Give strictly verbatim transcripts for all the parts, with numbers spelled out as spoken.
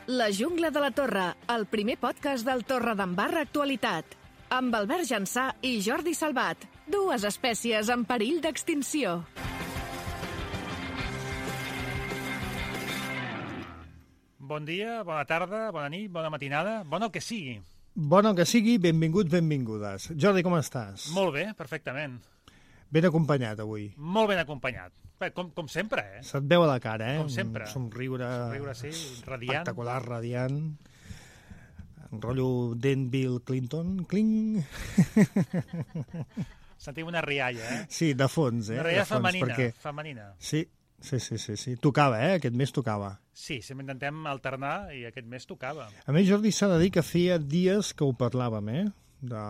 La jungla de la Torre, el primer podcast del Torredembarra Actualitat. Amb Albert Jansà i Jordi Salvat, dues espècies en perill d'extinció. Bon dia, bona tarda, bona nit, bona matinada, bon el que sigui. Bon el que sigui, benvinguts, benvingudes. Jordi, com estàs? Molt bé, perfectament. Ben acompanyat avui. Molt ben acompanyat. Bé, com, com sempre, eh? Se't veu a la cara, eh? Com sempre. Un somriure... Somriure, sí, radiant. Espectacular, radiant. En rotllo Denville Clinton. Cling. Sentim una rialla, eh? Sí, de fons, eh? Una rialla de fons, femenina, perquè... femenina. Sí, sí, sí, sí, sí. Tocava, eh? Aquest mes tocava. Sí, sempre intentem alternar i aquest mes tocava. A més, Jordi, s'ha de dir que feia dies que ho parlàvem, eh? De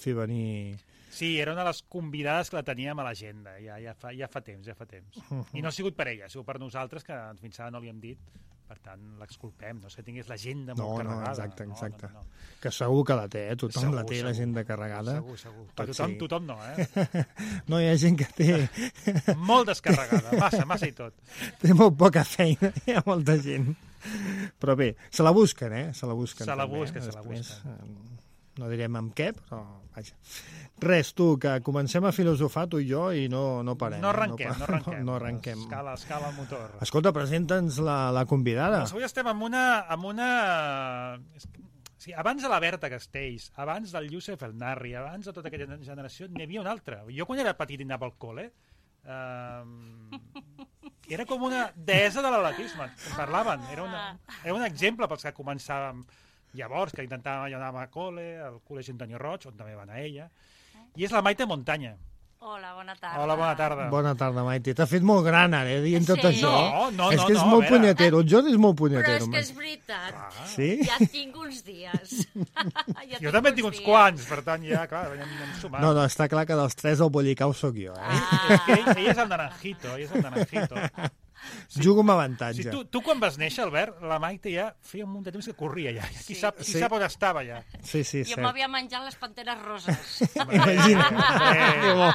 fer venir... Sí, era una de les convidades que la teníem a l'agenda, ja, ja, fa, ja fa temps, ja fa temps. Uh-huh. I no ha sigut per ella, ha sigut per nosaltres, que fins ara no li hem dit, per tant, l'exculpem, no és que tingués l'agenda no, molt carregada. No, exacte, exacte. No, no, no. Que segur que la té, eh? Tothom segur, la té, segur, l'agenda carregada. Segur, segur. Però tothom, sí. tothom no, eh? No, hi ha gent que té... Molt descarregada, massa, massa i tot. Té molt poca feina, hi ha molta gent. Però bé, se la busquen, eh? Se la busquen. Se la també, busquen, eh? se la busquen. No direm amb què, però vaja. Res, tu, que comencem a filosofar tu i jo i no, no parem. No arrenquem, no, no arrenquem. No, no arrenquem. Escala, escala el motor. Escolta, presenta'ns la, la convidada. Doncs avui estem amb una... Amb una... Sí, abans de la Berta Castells, abans del Youssef El Narri, abans de tota aquella generació, n'hi havia una altra. Jo quan era petit i anava al col·le, eh, era com una deessa de l'atletisme, en parlaven. Era, una, era un exemple pels que començàvem llavors, que intentàvem, jo anava a col·le, al col·legi Antonio Roig, on també va anar ella, i és la Maite Montanya. Hola, bona tarda. Hola, bona tarda. Bona tarda, Maite. T'ha fet molt gran ara, eh, dient tot Sí. això. No, no, és no, que és no, molt a veure. punyetero. El Jordi és molt Però punyetero. és que és veritat. Ah. Sí? Ja tinc uns dies. ja Jo també tinc uns dies. quants, per tant, ja, clar, anem, anem sumant. No, no, està clar que dels tres el bollicau sóc jo, eh? Ah. És que ell, ell és el naranjito, ell és el naranjito. Sí. Jugo amb avantatge. Sí, tu, tu quan vas néixer, Albert, la Maite ja feia un munt de temps que corria ja. Qui, Sí. sap, qui Sí. sap on estava ja. Sí, sí, Jo cert. m'havia menjat les panteres roses. Imagina't. Eh. Que bo.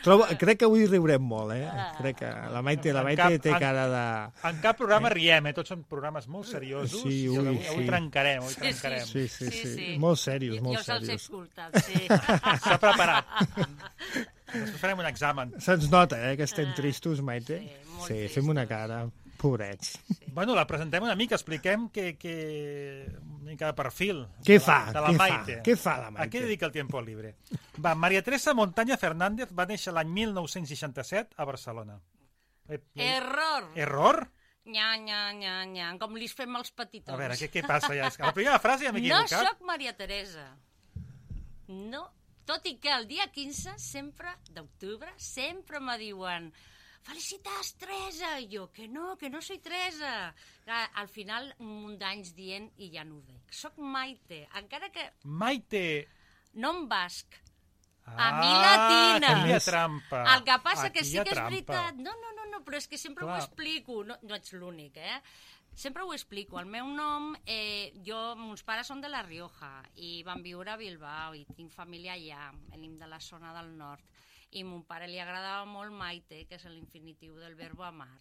Trobo, crec que avui riurem molt, eh? Crec que la Maite, la En Maite cap- té en- cara de... En cap programa riem, eh? Tots són programes molt seriosos. Sí, i ui, avui, avui sí. trencarem, avui Sí, trencarem. Sí, sí, sí. Sí, sí. Molt serios, Jo molt els he serios. escoltat, sí. S'ha preparat. Després farem un examen. Se'ns nota, eh, que estem tristos, Maite? Sí, molt Sí, tristos. fem una cara. Pobrets. Bueno, la presentem una mica, expliquem que, que... una mica de perfil. Què de fa? La, de la Què fa? Maite. Què fa la A Maite? què dedica el tiempo libre? Va, Maria Teresa Montaña Fernández va néixer l'any mil nou-cents seixanta-set a Barcelona. Eh, Error. Error? Nya, nya, nya, nya. Com li fem els petitons. A veure, què, què passa ja? És que la primera frase ja m'he No equivocat. sóc Maria Teresa. No. Tot i que el dia quinze, sempre, d'octubre, sempre me diuen felicitats, Teresa! I jo, que no, que no soy Teresa. Clar, al final, un munt d'anys dient i ja no ho dic. Soc Maite, encara que Maite. no em basc. Ah, A mi latina. Aquí hi ha trampa. El que passa Aquí que sí hi ha que és trampa. veritat. No, no, no, no, però és que sempre Clar. ho explico. No, no ets l'únic, eh? Sempre ho explico. El meu nom, eh, jo, mons pares són de La Rioja i van viure a Bilbao i tinc família allà, venim de la zona del nord. I a mon pare li agradava molt Maite, que és l'infinitiu del verbo amar.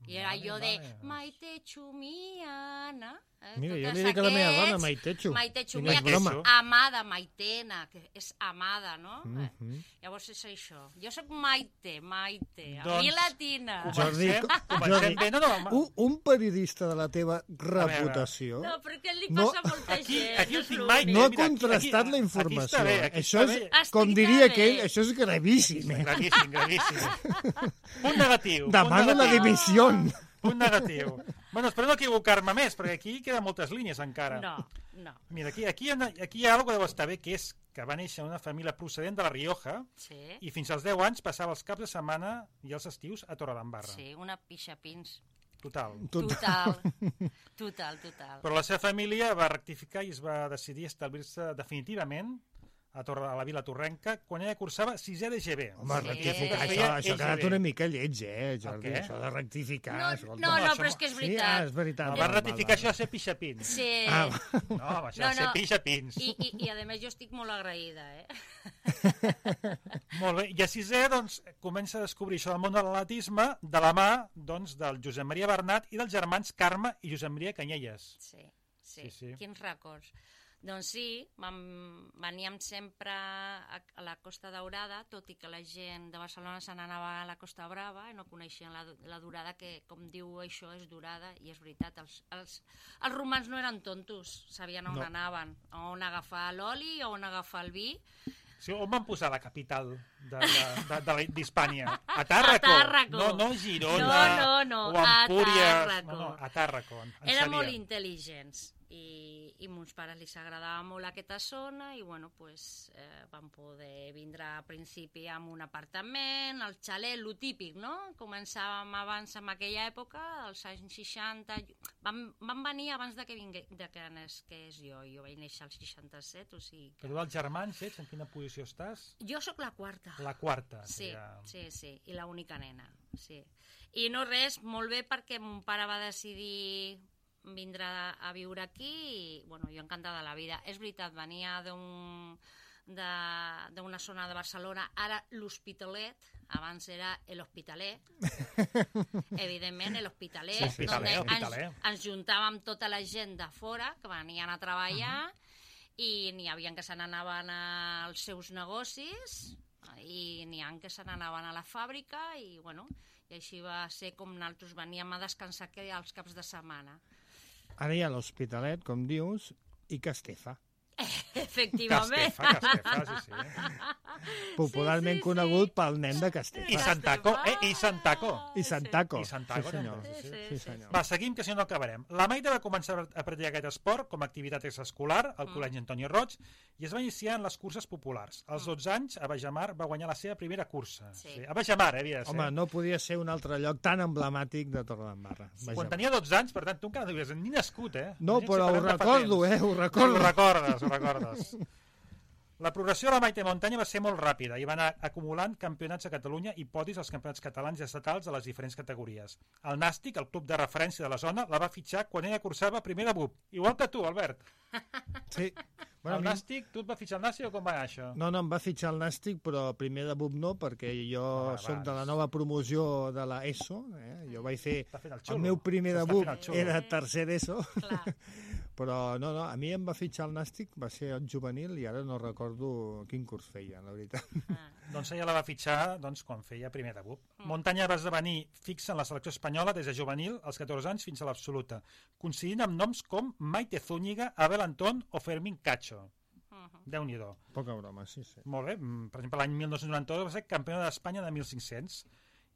I era Vale, allò de vale. Maite Chumiana. Eh? Mira, jo Totes li dic a la meva aquests. dona Maitechu. Maitechu, I no mira és que és broma. amada, Maitena, que és amada, no? Mhm. eh? Llavors és això. Jo sóc Maite, Maite, a Doncs- mi latina. Jordi, Comencem, comencem Jordi, bé. No, no, ma- un, un periodista de la teva reputació No, perquè li No, passa a molta aquí- gent. aquí ho és tinc, l'únic. Maite. no ha mira, aquí- contrastat aquí- la aquí informació. està bé, aquí Això està és, bé. com Estic diria bé. aquell, això és gravíssim. Eh? Gravíssim, gravíssim. Punt negatiu. punt Demano la negatiu. dimissió. Punt negatiu. Bueno, espero no equivocar-me més, perquè aquí queden moltes línies encara. No, no. Mira, aquí, aquí, hi ha, una- aquí hi ha alguna que deu estar bé, que és que va néixer en una família procedent de La Rioja Sí, i fins als deu anys passava els caps de setmana i els estius a Torredembarra. sí, una pixapins. Total. Total, total, total. Però la seva família va rectificar i es va decidir establir-se definitivament a, Torre, a la Vila Torrenca, quan ella cursava sisè de G B. Home, Sí. rectificar, Que això, feia això ha quedat E G B. una mica lleig, eh, Jordi? El què? Això de rectificar... No, escolta. no, no, això però és que és Sí, ah, veritat. és veritat. No, val, va val, ratificar val. això a ser pixapins. Sí. Ah, No, home, això No, va ser no. pixapins. I, i, I, a més, jo estic molt agraïda, eh? Molt bé, i a sisè, doncs, comença a descobrir això del món de l'atletisme de la mà, doncs, del Josep Maria Bernat i dels germans Carme i Josep Maria Canyelles. Sí, sí, Sí, sí. quins records. Doncs sí, vam, veníem sempre a, a la Costa Daurada, tot i que la gent de Barcelona se n'anava a la Costa Brava i no coneixien la, la Durada, que, com diu això, és Durada, i és veritat, els, els, els romans no eren tontos, sabien on No. anaven, on agafar l'oli, on agafar el vi. Sí, on van posar la capital de- de- de- de- d'Hispània? A Tàrraco. A Tàrraco. No, no Girona. No, no, no, o a Empúries. Tàrraco. No, no, a Tàrraco. En, en Eren sabia. molt intel·ligents i, i mons pares li agradava molt aquesta zona i bueno, pues, eh, van poder vindre a principi amb un apartament, el xalet, lo típic, no? Començàvem abans en aquella època, als anys seixanta, van, van venir abans de que, vingue, de que nasqués jo, jo vaig néixer al seixanta-set, o sigui... Que tu dels germans ets, en quina posició estàs? Jo sóc la quarta. La quarta. Sí, ja. sí, sí, i l'única nena, sí. I no res, molt bé, perquè mon pare va decidir vindre a, a viure aquí i, bueno, jo encantada de la vida. És veritat, venia d'un d'una zona de Barcelona, ara l'Hospitalet, abans era l'Hospitalet, evidentment l'Hospitalet, Sí, Hospitalet, on Hospitalet. ens, ens juntàvem tota la gent de fora que venien a treballar, uh -huh. i n'hi havia que se n'anaven als seus negocis i n'hi ha que se n'anaven a la fàbrica i, bueno, i així va ser com nosaltres veníem a descansar que als caps de setmana. Ara hi ha l'Hospitalet, com dius, i Castefa. Efectivament. Castefa, Castefa, sí, sí. Popularment sí, sí. conegut pel nen de Castefa. I Santaco, eh? I Santaco. I Santaco. I Santaco, sí, senyor. també, sí, sí, Sí, sí. senyor. Va, seguim, que si no no acabarem. La Maite va començar a practicar aquest esport com a activitat extraescolar al Col·legi Antoni Roig i es va iniciar en les curses populars. Als dotze anys, a Bajamar va guanyar la seva primera cursa. Sí. A Bajamar, eh, havia de ser. Home, no podia ser un altre lloc tan emblemàtic de Torredembarra. Quan tenia dotze anys, per tant, tu encara no havies ni nascut, eh? No, Imagina't si però ho parlem de fa recordo, temps. eh? Ho Ho recordo. recordes, ho recordes. La progressió de la Maite Montanya va ser molt ràpida i va anar acumulant campionats a Catalunya i podis als campionats catalans i estatals de les diferents categories. El Nàstic, el club de referència de la zona, la va fitxar quan ella cursava primer de B U P. Igual que tu, Albert. Sí. Bueno, a el mi- Nàstic, tu et va fitxar el Nàstic o com va anar això? No, no, em va fitxar el Nàstic, però primer de B U P no, perquè jo Ah, sóc va, de la és- nova promoció de la ESO. Eh? Jo vaig fer... Està fent el El xulo. meu primer de S'està B U fent el P xulo. era tercer ESO, Clar. però no, no, a mi em va fitxar el Nàstic, va ser el juvenil i ara no recordo quin curs feia, la veritat. Ah. Doncs ella la va fitxar doncs, quan feia primer de B U P. Montanya va esdevenir fixa en la selecció espanyola des de juvenil, als catorze anys, fins a l'absoluta, coincidint amb noms com Maite Zúñiga, Abel Antón o Fermín Cacho. Uh-huh. Déu-n'hi-do. Poca broma, sí, sí. Molt bé. Mm, Per exemple, l'any mil nou-cents noranta-dos va ser campiona d'Espanya de mil cinc-cents.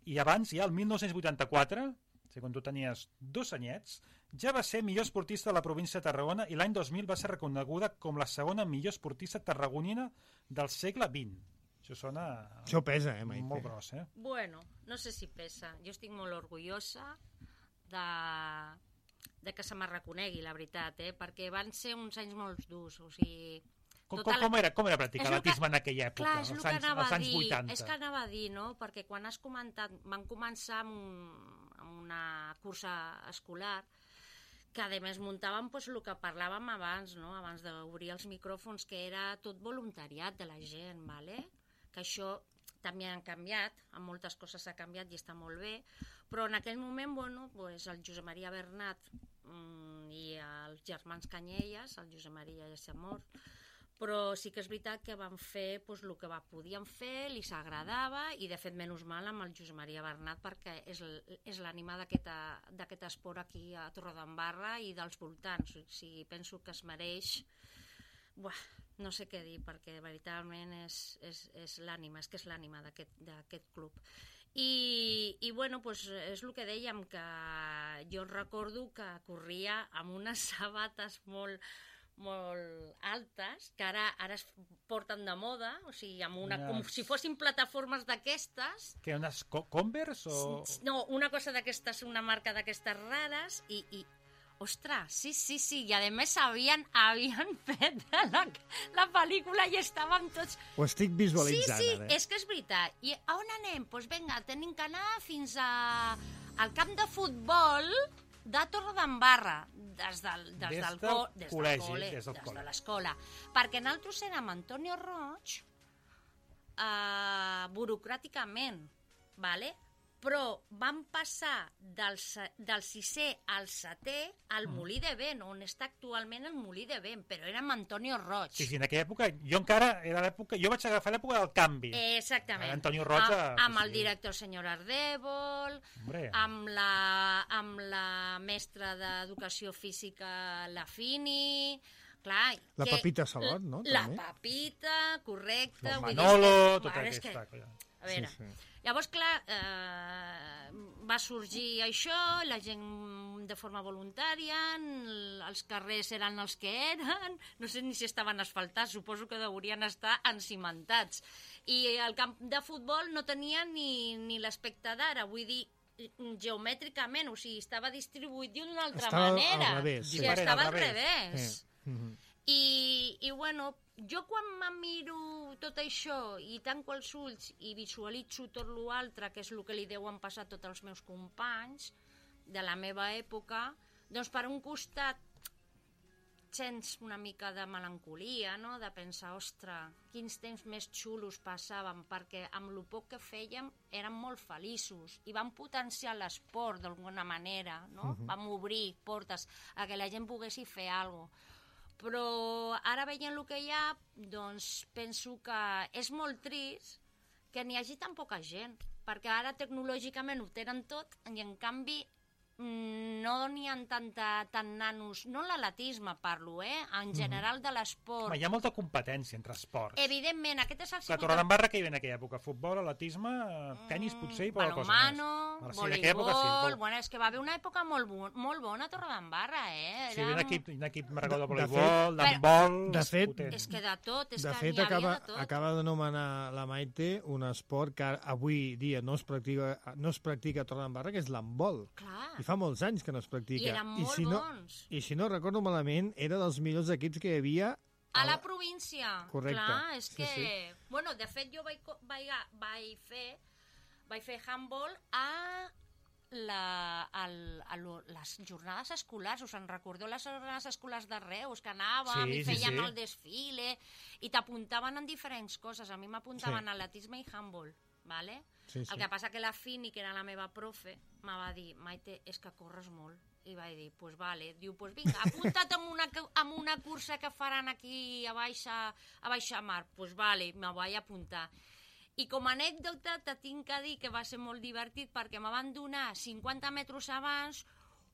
I abans, ja el mil nou-cents vuitanta-quatre, o sigui, quan tu tenies dos anyets, ja va ser millor esportista de la província de Tarragona i l'any dos mil va ser reconeguda com la segona millor esportista tarragonina del segle vint. Això sona Això pesa, eh, Maite? molt gros, eh? Bueno, no sé si pesa. Jo estic molt orgullosa de, de que se me reconegui, la veritat, eh? Perquè van ser uns anys molt durs, o sigui... Com, tota com, com, era, com era practicar És el que- l'atletisme en aquella època, Clar, és el als que anys, anava als a anys dir, vuitanta? és que anava a dir, no? Perquè quan has comentat, van començar amb, un, amb una cursa escolar, que a més muntàvem pues, el que parlàvem abans, no? Abans d'obrir els micròfons, que era tot voluntariat de la gent, ¿vale? Que això també han canviat, amb moltes coses ha canviat i està molt bé, però en aquell moment, bueno, pues, el Josep Maria Bernat mm, i els germans Canyelles, el Josep Maria ja s'ha mort, però sí que és veritat que van fer pues, el que va, podien fer, li s'agradava i de fet menys mal amb el Josep Maria Bernat perquè és, l- és l'ànima d'aquest esport aquí a Torredembarra i dels voltants, o sigui, penso que es mereix. Buah, no sé què dir perquè veritablement és, és, és l'ànima, és que és l'ànima d'aquest d'aquest club. I, i bueno, pues, és el que dèiem, que jo recordo que corria amb unes sabates molt molt altes, que ara ara es porten de moda, o sigui, amb una, com Unes- si fossin plataformes d'aquestes. Que unes co Converse o... No, una cosa d'aquestes, una marca d'aquestes rares, i, i Ostres, sí, sí, sí, i a més havien, havien fet la, la pel·lícula i estàvem tots... Ho estic visualitzant, sí, sí, ara. és que és veritat. I a on anem? Doncs pues vinga, tenim que anar fins a, al camp de futbol de Torredembarra, des del, des Des del, del co, des col·legi, del col·le, des del des col·le. de l'escola. Perquè nosaltres érem Antonio Roig, eh, burocràticament, vale? Però vam passar del, se- del sisè al setè al Molí de Vent, on està actualment el Molí de Vent, però érem Antonio Roig. Sí, sí, en aquella època, jo encara era l'època, jo vaig agafar l'època del canvi. Eh, Exactament. Antonio Roig, A, amb sí, el sí. director senyor Ardèvol, Hombre. amb la, amb la mestra d'Educació Física, la Fini... Clar, La que- Pepita Salot, no? La També. Pepita, correcte. El vull dir, Manolo, és que- tota bueno, és aquesta... que- colla. A veure, Sí, sí. llavors, clar, eh, va sorgir això, la gent de forma voluntària, n- els carrers eren els que eren, no sé ni si estaven asfaltats, suposo que deurien estar encimentats. I el camp de futbol no tenia ni, ni l'aspecte d'ara, vull dir, geomètricament, o sigui, estava distribuït d'una altra Estava al manera. revés, Sí, sí. estava Al al revés. revés. Sí. Mhm. I, i bueno, jo quan em miro tot això i tanco els ulls i visualitzo tot l'altre, que és el que li deuen passar a tots els meus companys de la meva època, doncs per un costat sents una mica de melancolia, no? De pensar, ostres, quins temps més xulos passaven, perquè amb el poc que fèiem érem molt feliços i vam potenciar l'esport d'alguna manera, no? Uh-huh. Vam obrir portes a que la gent poguessi fer alguna cosa. Però ara veient el que hi ha, doncs penso que és molt trist que n'hi hagi tan poca gent, perquè ara tecnològicament ho tenen tot i en canvi no n'hi ha tanta, tant nanos, no en l'atletisme parlo, eh? En general de l'esport. Home, hi ha molta competència entre esports. Evidentment, aquest és el La Torredembarra que hi havia en aquella època? Futbol, atletisme, tenis potser i poca cosa més. balonmano, Ara sí, en aquella època sí, voleibol... vol- Bueno, és que va haver una època molt, bo, molt bona a Torredembarra, eh? Sí, hi havia un equip, un equip marcador de De- de voleibol, fet- d'handbol... de fet- potent. És que de tot, és De que fet, n'hi havia acaba, de tot. acaba d'anomenar la Maite un esport que avui dia no es practica, no es practica a Torredembarra, que és l'handbol. Clar, I fa molts anys que no es practica. i eren molt si no, bons. I si no recordo malament, era dels millors equips que hi havia A la província. Correcte. Clar, és Sí, que... sí. Bueno, de fet, jo vaig, co- vaig, vaig fer vaig fer handball a, la, al, a lo, les jornades escolars. Us en recordeu les jornades escolars de Reus, que anàvem Sí, i sí, fèiem sí. el desfile i t'apuntaven en diferents coses. A mi m'apuntaven Sí. a atletisme i handball, ¿vale? Sí, sí. El que passa que la Fini, que era la meva profe, me va dir, Maite, és que corres molt. I vaig dir, pues vale. Diu, pues vinga, apunta't amb una, amb una cursa que faran aquí a Baixa, a Baixa Mar. Pues vale, me vaig apuntar. I com a anècdota te tinc que dir que va ser molt divertit perquè me van donar cinquanta metres abans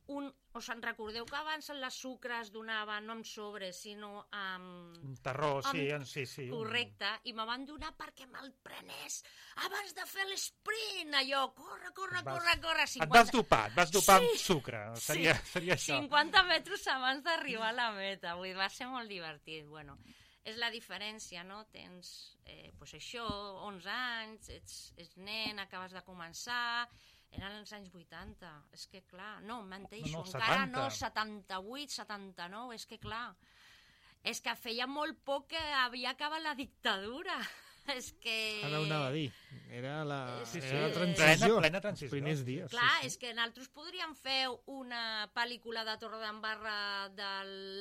un... Us en recordeu que abans les sucres donaven no amb sobres, sinó amb... Un terror, sí, Amb- sí, sí. un- Correcte, i me van donar perquè me'l prenés abans de fer l'esprint, allò, corre, corre, Vas- corre, corre, Et vas dopar, et vas dopar amb sucre. Seria, seria això. cinquanta metres abans d'arribar a la meta, vull dir, va ser molt divertit, bueno, és la diferència, no? Tens, eh, pues això, onze anys, ets, ets nen, acabes de començar, eren els anys vuitanta, és que clar, no, menteixo, No, no, encara setanta. no, setanta-vuit, setanta-nou, és que clar, és que feia molt poc que havia acabat la dictadura, és que... Ara ho anava a dir. Era la, Sí, sí. era la Plena- transició. plena transició. Els primers dies. Clar, sí, és que nosaltres podríem fer una pel·lícula de Torredembarra de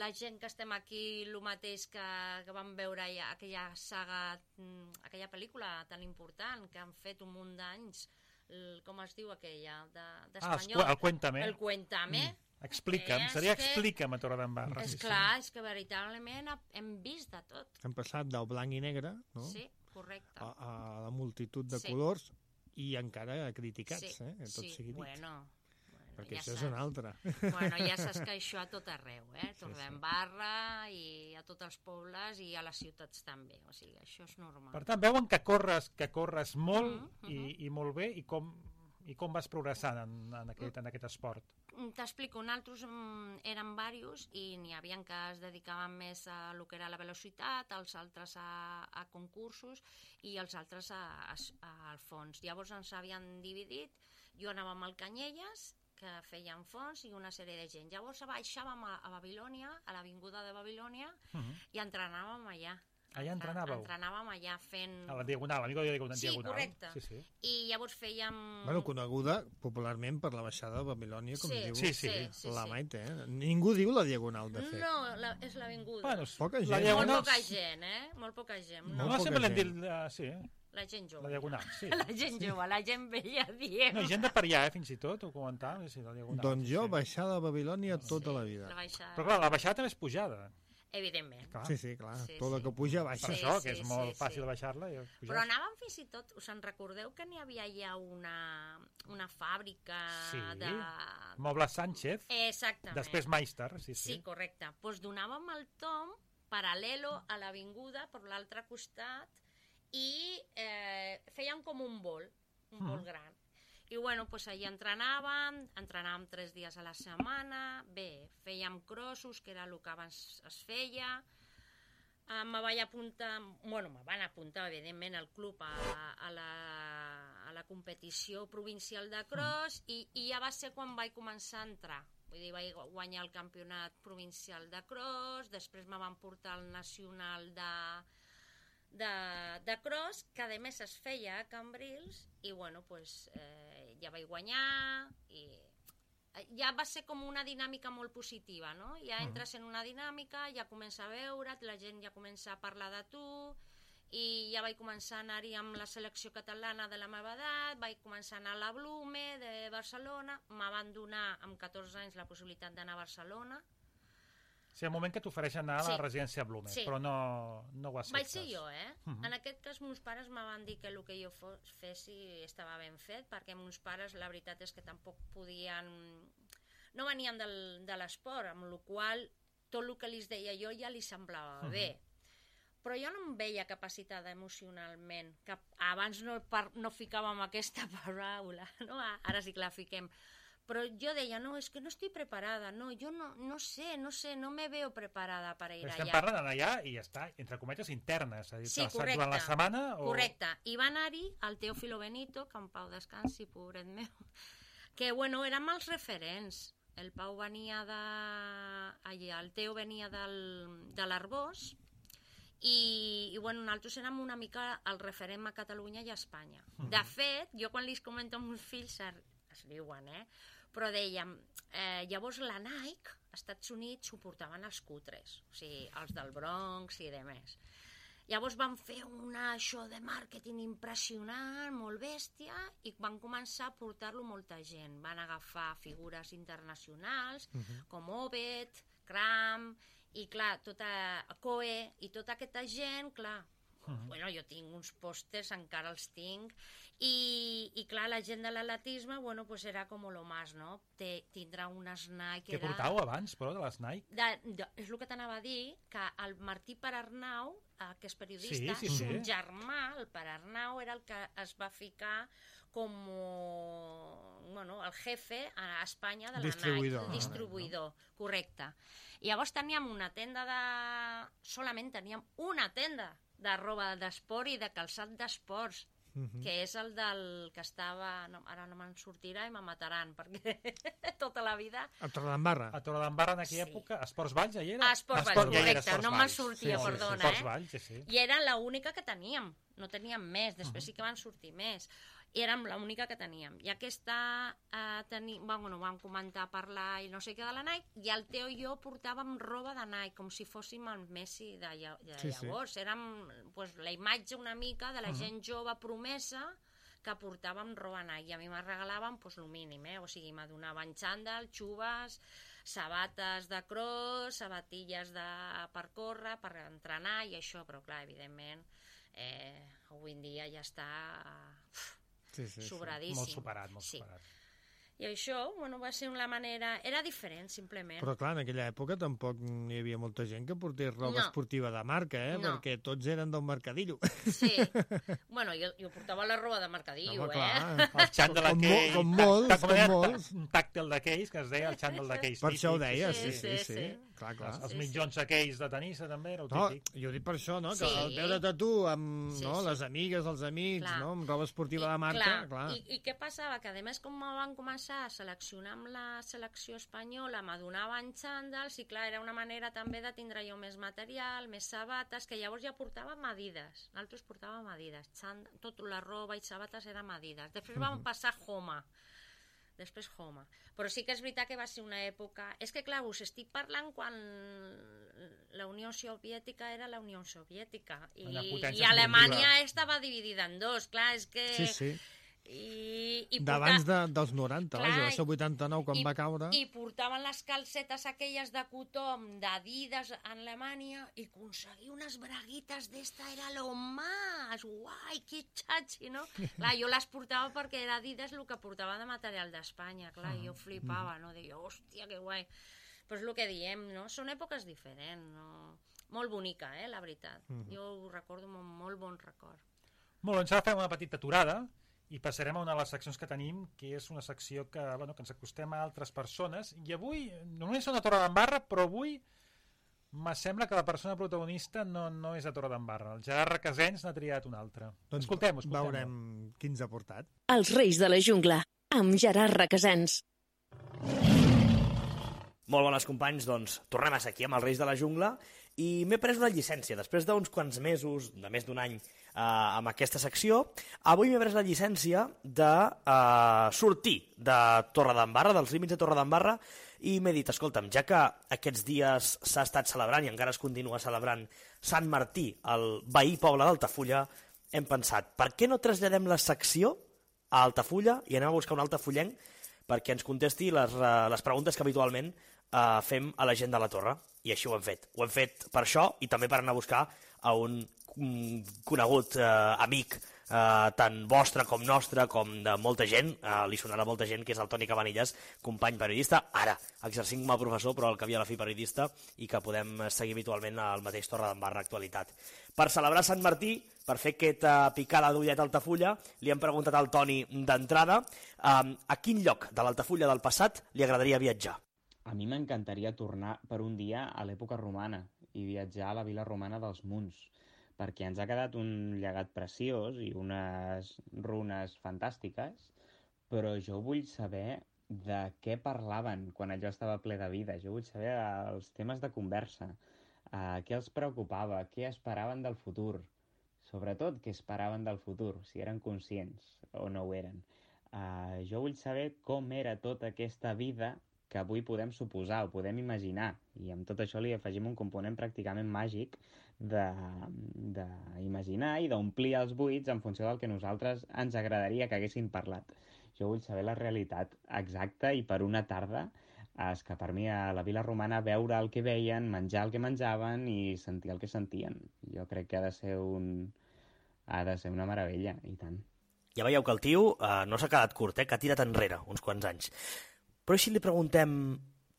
la gent que estem aquí, el mateix que, que vam veure ja, aquella saga, mm, aquella pel·lícula tan important que han fet un munt d'anys, el- com es diu aquella, de- Ah, els d'espanyol? cu- el Cuéntame. El Cuéntame. Explica'm, És seria que- explica'm a Torredembarra. És sí, sí. clar, és que veritablement hem vist de tot. sí. Hem passat del blanc i negre, no? Sí, correcte. a, a la multitud de Sí. colors i encara criticats, sí, eh? Que tot sí, sigui dit. bueno, bueno, perquè ja això és saps. una altra. Bueno, ja saps que això a tot arreu, eh? Torredembarra i a tots els pobles i a les ciutats també, o sigui, això és normal. Per tant, veuen que corres, que corres molt Mhm, i, i molt bé, i com, i com vas progressant en, en, aquest, en aquest esport. T'explico, nosaltres mm, érem diversos i n'hi havia que es dedicaven més a lo que era la velocitat, els altres a, a concursos i els altres a, a, a, al fons. Llavors ens havien dividit, jo anava amb el Canyelles, que feien fons i una sèrie de gent. Llavors baixàvem a, a Babilònia, a l'avinguda de Babilònia, Uh-huh. i entrenàvem allà. Allà entrenàveu? Entrenàvem allà fent... A la Diagonal, amigo de Diagonal. Sí, correcte. Sí, sí. I llavors fèiem... Bueno, coneguda popularment per la baixada de Babilònia, com sí, diu Sí, sí. sí, sí, la sí. Maite. Eh? Ningú diu la Diagonal, de fet. No, la, és l'avinguda. Bueno, Poca gent. la Molt Diagonal... poca gent, eh? Molt poca gent. Molt No, No, poca sempre l'hem gent. dit... Uh, sí, la gent jove. la Diagonal, sí. La gent jove, la gent vella, diem. No, hi gent de per allà, eh, fins i tot, ho comentàvem, sí, la Diagonal. Doncs sí, jo, sí. baixada de Babilònia tota la vida. La baixada. Però clar, la baixada també és pujada. Evidentment. Clar. Sí, sí, clar. Sí, Tot el sí. que puja, baixa. Per Sí, això, sí, que és sí, molt sí. fàcil baixar-la. I pujar. Però anàvem fins i tot, us en recordeu que n'hi havia ja una, una fàbrica Sí. de... Mobles Sánchez, Exactament. després Meister, sí, sí. Sí, correcte. Doncs pues donàvem el tom paral·lelo a l'avinguda per l'altre costat i eh, feien com un vol, un vol Mm. gran. I bueno, pues allà entrenàvem, entrenàvem tres dies a la setmana, bé, fèiem crossos, que era el que abans es feia, eh, me vaig apuntar, bueno, me van apuntar, evidentment, al club a, a, la, a la competició provincial de cross i, i ja va ser quan vaig començar a entrar. Vull dir, vaig guanyar el campionat provincial de cross, després me van portar al nacional de... De, de cross, que a més es feia a Cambrils i bueno, pues, eh, ja vaig guanyar i ja va ser com una dinàmica molt positiva, no? Ja entres en una dinàmica, ja comença a veure't, la gent ja comença a parlar de tu i ja vaig començar a anar-hi amb la selecció catalana de la meva edat, vaig començar a anar a la Blume de Barcelona, me van donar amb catorze anys la possibilitat d'anar a Barcelona. Sí, el moment que t'ofereixen anar a la Sí. residència Blume, Sí. però no, no ho acceptes. Vaig ser jo, eh? Mhm. En aquest cas, meus pares me van dir que el que jo fos, fessi estava ben fet, perquè meus pares, la veritat és que tampoc podien... No venien del, de l'esport, amb la qual tot el que els deia jo ja li semblava Mhm. bé. Però jo no em veia capacitada emocionalment, que abans no, par, no ficàvem aquesta paraula, no? Ara sí que la fiquem. Però jo deia, no, és que no estic preparada, no, jo no, no sé, no sé, no me veo preparada per ir Estem allà. parlant d'anar allà i ja està, entre cometes, internes. És a dir, Sí, t'has estat correcte. durant la setmana o... Correcte. I va anar-hi el Teófilo Benito, que en Pau descansi, pobret meu, que, bueno, érem els referents. El Pau venia de... Allà, el Teo venia del, de l'Arbós i, i, bueno, nosaltres érem una mica el referent a Catalunya i a Espanya. De fet, jo quan li comento als meus fills es, es riuen, eh? Però dèiem, eh, llavors la Nike, als Estats Units, ho portaven els cutres, o sigui, els del Bronx i demés. Llavors van fer una show de màrqueting impressionant, molt bèstia, i van començar a portar-lo molta gent. Van agafar figures internacionals, Mhm. com Obed, Cram, i clar, tota Coe, i tota aquesta gent, clar, Mhm. bueno, jo tinc uns pòsters, encara els tinc, i, i clar, la gent de l'atletisme, bueno, pues era com lo más, no? Te, tindrà unes Nike... Què era... portàveu abans, però, de les Nike? De, de, és el que t'anava a dir, que el Martí Perarnau, eh, que és periodista, Sí, sí, sí. son germà, el Perarnau, era el que es va ficar com bueno, el jefe a Espanya de la Distribuïdor, Nike. Distribuïdor, correcte. I llavors teníem una tenda de... Solament teníem una tenda de roba d'esport i de calçat d'esports, Mhm. que és el del que estava... No, ara no me'n sortirà i me mataran, perquè tota la vida... A Torredembarra. A Torredembarra en aquella Sí. època, Esports Valls, ja hi era? Ah, Esports Valls, Esport- ja hi era correcte, Esports no me'n Valls. sortia, Sí, sí, perdona, Esports eh? Valls, sí, sí. I era l'única que teníem, no teníem més, després sí que van sortir més. I érem l'única que teníem. I aquesta, eh, teni... bueno, vam comentar, parlar i no sé què de la Nike, i el Teo i jo portàvem roba de Nike, com si fóssim el Messi de, lla... de Sí, sí. llavors. Érem pues, la imatge una mica de la gent jove promesa que portàvem roba Nike, i a mi me regalaven pues, el mínim, eh? O sigui, me donaven xandall, xubes, sabates de cross, sabatilles de... per córrer, per entrenar i això, però clar, evidentment, eh, avui en dia ja està Sí, sí, sí. sobradíssim. Molt superat, molt sí. superat. I això, bueno, va ser una manera... Era diferent, simplement. Però clar, en aquella època tampoc hi havia molta gent que portés roba No. esportiva de marca, eh? No. Perquè tots eren del mercadillo. Sí. Bueno, jo, jo portava la roba de mercadillo, Home, eh? clar. El xandall Com mo- aquell... com tac- molts, tac- com era molts. Un tàctil d'aquells, que es deia el xandall d'aquells. Per això ho típics. deia, Sí, sí, sí, sí, sí. sí. clar, clar. Els Sí, mitjons aquells de tenissa, també, era el No, típic. jo dic per això, no? Que Sí. el veure't a tu amb Sí, no? sí. les amigues, els amics, Clar. no? amb roba esportiva de marca, clar. clar. I, I què passava? Que a més, com van començar a seleccionar amb la selecció espanyola, m'adonaven xandals i clar, era una manera també de tindre jo més material, més sabates, que llavors ja portàvem Adidas. Nosaltres portàvem Adidas. Xand... Tot la roba i sabates eren Adidas. Després vam Mhm. passar a Homa. Després Homa. Però sí que és veritat que va ser una època... És que, clar, us estic parlant quan la Unió Soviètica era la Unió Soviètica i, Una potència i Alemanya esportiva. estava dividida en dos. Clar, és que... Sí, sí. I, i D'abans porta- de, dels noranta, Clar, vaja, va ser el vuitanta-nou quan i, va caure. I portaven les calcetes aquelles de cotó d'Adidas en Alemanya i aconseguir unes braguites d'esta era lo más, guai, que xatxi, no? Clar, jo les portava perquè era Adidas el que portava de material d'Espanya, clar, i jo flipava, no? Deia, hòstia, que guai. Però és el que diem, no? Són èpoques diferents, no? Molt bonica, eh, la veritat. Jo ho recordo amb un molt bon record. Molt bé, ens ara fem una petita aturada i passarem a una de les seccions que tenim, que és una secció que, bueno, que ens acostem a altres persones. I avui, només són a Torre d'Embarra, però avui me sembla que la persona protagonista no, no és a Torre d'Embarra. El Gerard Requesens n'ha triat un altre. Doncs Escoltem-ho, escoltem-ho. veurem qui ens ha portat. Els Reis de la Jungla, amb Gerard Requesens. Molt bones, companys, doncs tornem a ser aquí amb els Reis de la Jungla i m'he pres una llicència. Després d'uns quants mesos, de més d'un any, eh, amb aquesta secció, avui m'he pres la llicència de eh, sortir de Torre d'Embarra, dels límits de Torre d'Embarra, i m'he dit, escolta'm, ja que aquests dies s'ha estat celebrant i encara es continua celebrant Sant Martí, el veí poble d'Altafulla, hem pensat, per què no traslladem la secció a Altafulla i anem a buscar un altafullenc perquè ens contesti les, uh, les preguntes que habitualment uh, fem a la gent de la Torre. I així ho hem fet. Ho hem fet per això i també per anar a buscar a un, un conegut uh, amic, uh, tant vostre com nostre, com de molta gent, uh, li sonarà molta gent, que és el Toni Cabanillas, company periodista, ara exercint com a professor, però al cap i a la fi periodista, i que podem seguir habitualment al mateix Torre d'Embarra Actualitat. Per celebrar Sant Martí, per fer aquesta picada d'ullet a Altafulla, li hem preguntat al Toni d'entrada um, a quin lloc de l'Altafulla del passat li agradaria viatjar. A mi m'encantaria tornar per un dia a l'època romana i viatjar a la vila romana dels Munts, perquè ens ha quedat un llegat preciós i unes runes fantàstiques, però jo vull saber de què parlaven quan allò estava ple de vida. Jo vull saber els temes de conversa, uh, què els preocupava, què esperaven del futur, sobretot què esperaven del futur, si eren conscients o no ho eren. Uh, jo vull saber com era tota aquesta vida que avui podem suposar o podem imaginar, i amb tot això li afegim un component pràcticament màgic d'imaginar i d'omplir els buits en funció del que nosaltres ens agradaria que haguessin parlat. Jo vull saber la realitat exacta i per una tarda escapar-m'hi a la vila romana, veure el que veien, menjar el que menjaven i sentir el que sentien. Jo crec que ha de ser, un... ha de ser una meravella, i tant. Ja veieu que el tio eh, no s'ha quedat curt, eh, que ha tirat enrere uns quants anys. Però si li preguntem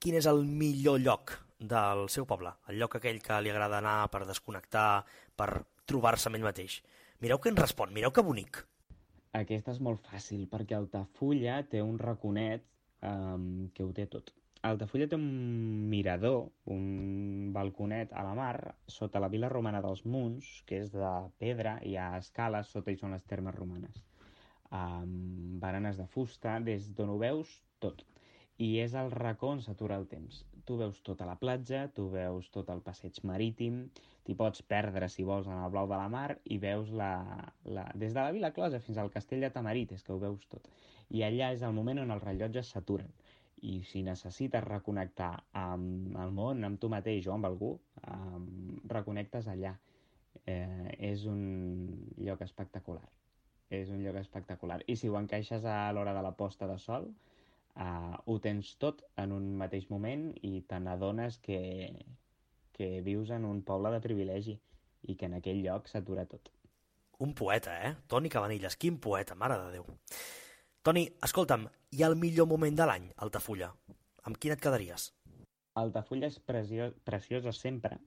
quin és el millor lloc del seu poble, el lloc aquell que li agrada anar per desconnectar, per trobar-se amb ell mateix, mireu què ens respon, mireu que bonic. Aquesta és molt fàcil, perquè Altafulla té un raconet um, que ho té tot. Altafulla té un mirador, un balconet a la mar, sota la vila romana dels Munts, que és de pedra, hi ha escales, sota hi són les termes romanes. Um, baranes de fusta, des d'on ho veus, tot. I és el racó on s'atura el temps. Tu veus tota la platja, tu veus tot el passeig marítim, t'hi pots perdre si vols en el blau de la mar i veus la, la... des de la Vila Closa fins al castell de Tamarit, és que ho veus tot. I allà és el moment on els rellotges s'aturen. I si necessites reconnectar amb el món, amb tu mateix o amb algú, um, reconnectes allà. Eh, és un lloc espectacular. És un lloc espectacular. I si ho encaixes a l'hora de la posta de sol, Uh, ho tens tot en un mateix moment i te n'adones que, que vius en un poble de privilegi i que en aquell lloc s'atura tot. Un poeta, eh? Toni Cabanillas, quin poeta, mare de Déu. Toni, escolta'm, hi ha el millor moment de l'any, Altafulla. Amb quin et quedaries? Altafulla és preciós, preciosa sempre,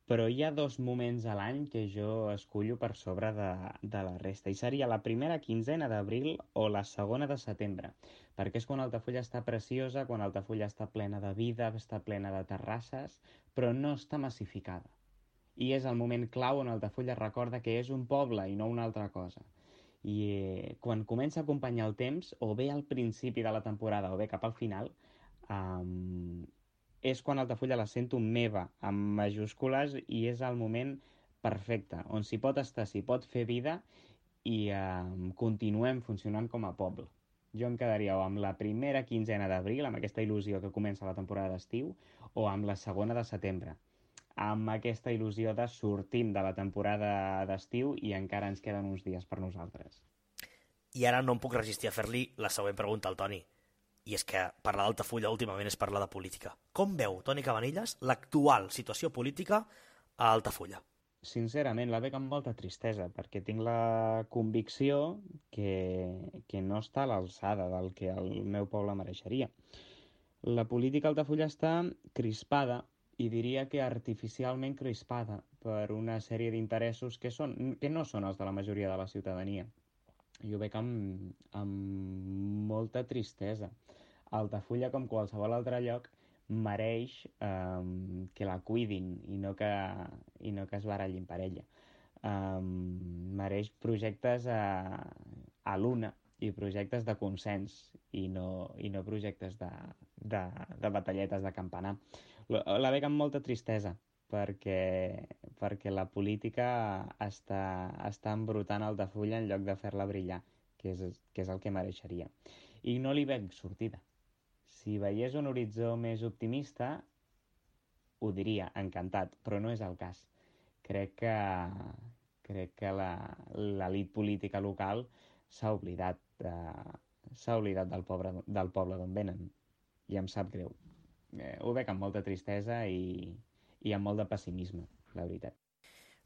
però hi ha dos moments a l'any que jo escullo per sobre de, de la resta, i seria la primera quinzena d'abril o la segona de setembre, perquè és quan Altafulla està preciosa, quan Altafulla està plena de vida, està plena de terrasses, però no està massificada. I és el moment clau on Altafulla recorda que és un poble i no una altra cosa. I eh, quan comença a acompanyar el temps, o bé al principi de la temporada o bé cap al final, um, és quan Altafulla la sento meva, amb majúscules, i és el moment perfecte, on s'hi pot estar, s'hi pot fer vida i eh, continuem funcionant com a poble. Jo em quedaria o amb la primera quinzena d'abril, amb aquesta il·lusió que comença la temporada d'estiu, o amb la segona de setembre, amb aquesta il·lusió de sortim de la temporada d'estiu i encara ens queden uns dies per nosaltres. I ara no em puc resistir a fer-li la següent pregunta al Toni. I és que parlar d'Altafulla últimament és parlar de política. Com veu, Toni Cabanillas, l'actual situació política a Altafulla? Sincerament, la veig amb molta tristesa, perquè tinc la convicció que, que no està a l'alçada del que el meu poble mereixeria. La política a Altafulla està crispada, i diria que artificialment crispada, per una sèrie d'interessos que, són, que no són els de la majoria de la ciutadania. Jo veig amb, amb molta tristesa. Altafulla, com qualsevol altre lloc, mereix eh, que la cuidin i no que, i no que es barallin per ella. Eh, mereix projectes a, a l'una i projectes de consens i no, i no projectes de, de, de batalletes de campanar. La, la veig amb molta tristesa, perquè, perquè la política està, està embrutant Altafulla en lloc de fer-la brillar, que és, que és el que mereixeria. I no li veig sortida. Si veiés un horitzó més optimista, ho diria, encantat, però no és el cas. Crec que, crec que l'elit política local s'ha oblidat, de, s'ha oblidat del poble, del poble d'on venen, i em sap greu. Eh, ho veig amb molta tristesa i, i amb molt de pessimisme, la veritat.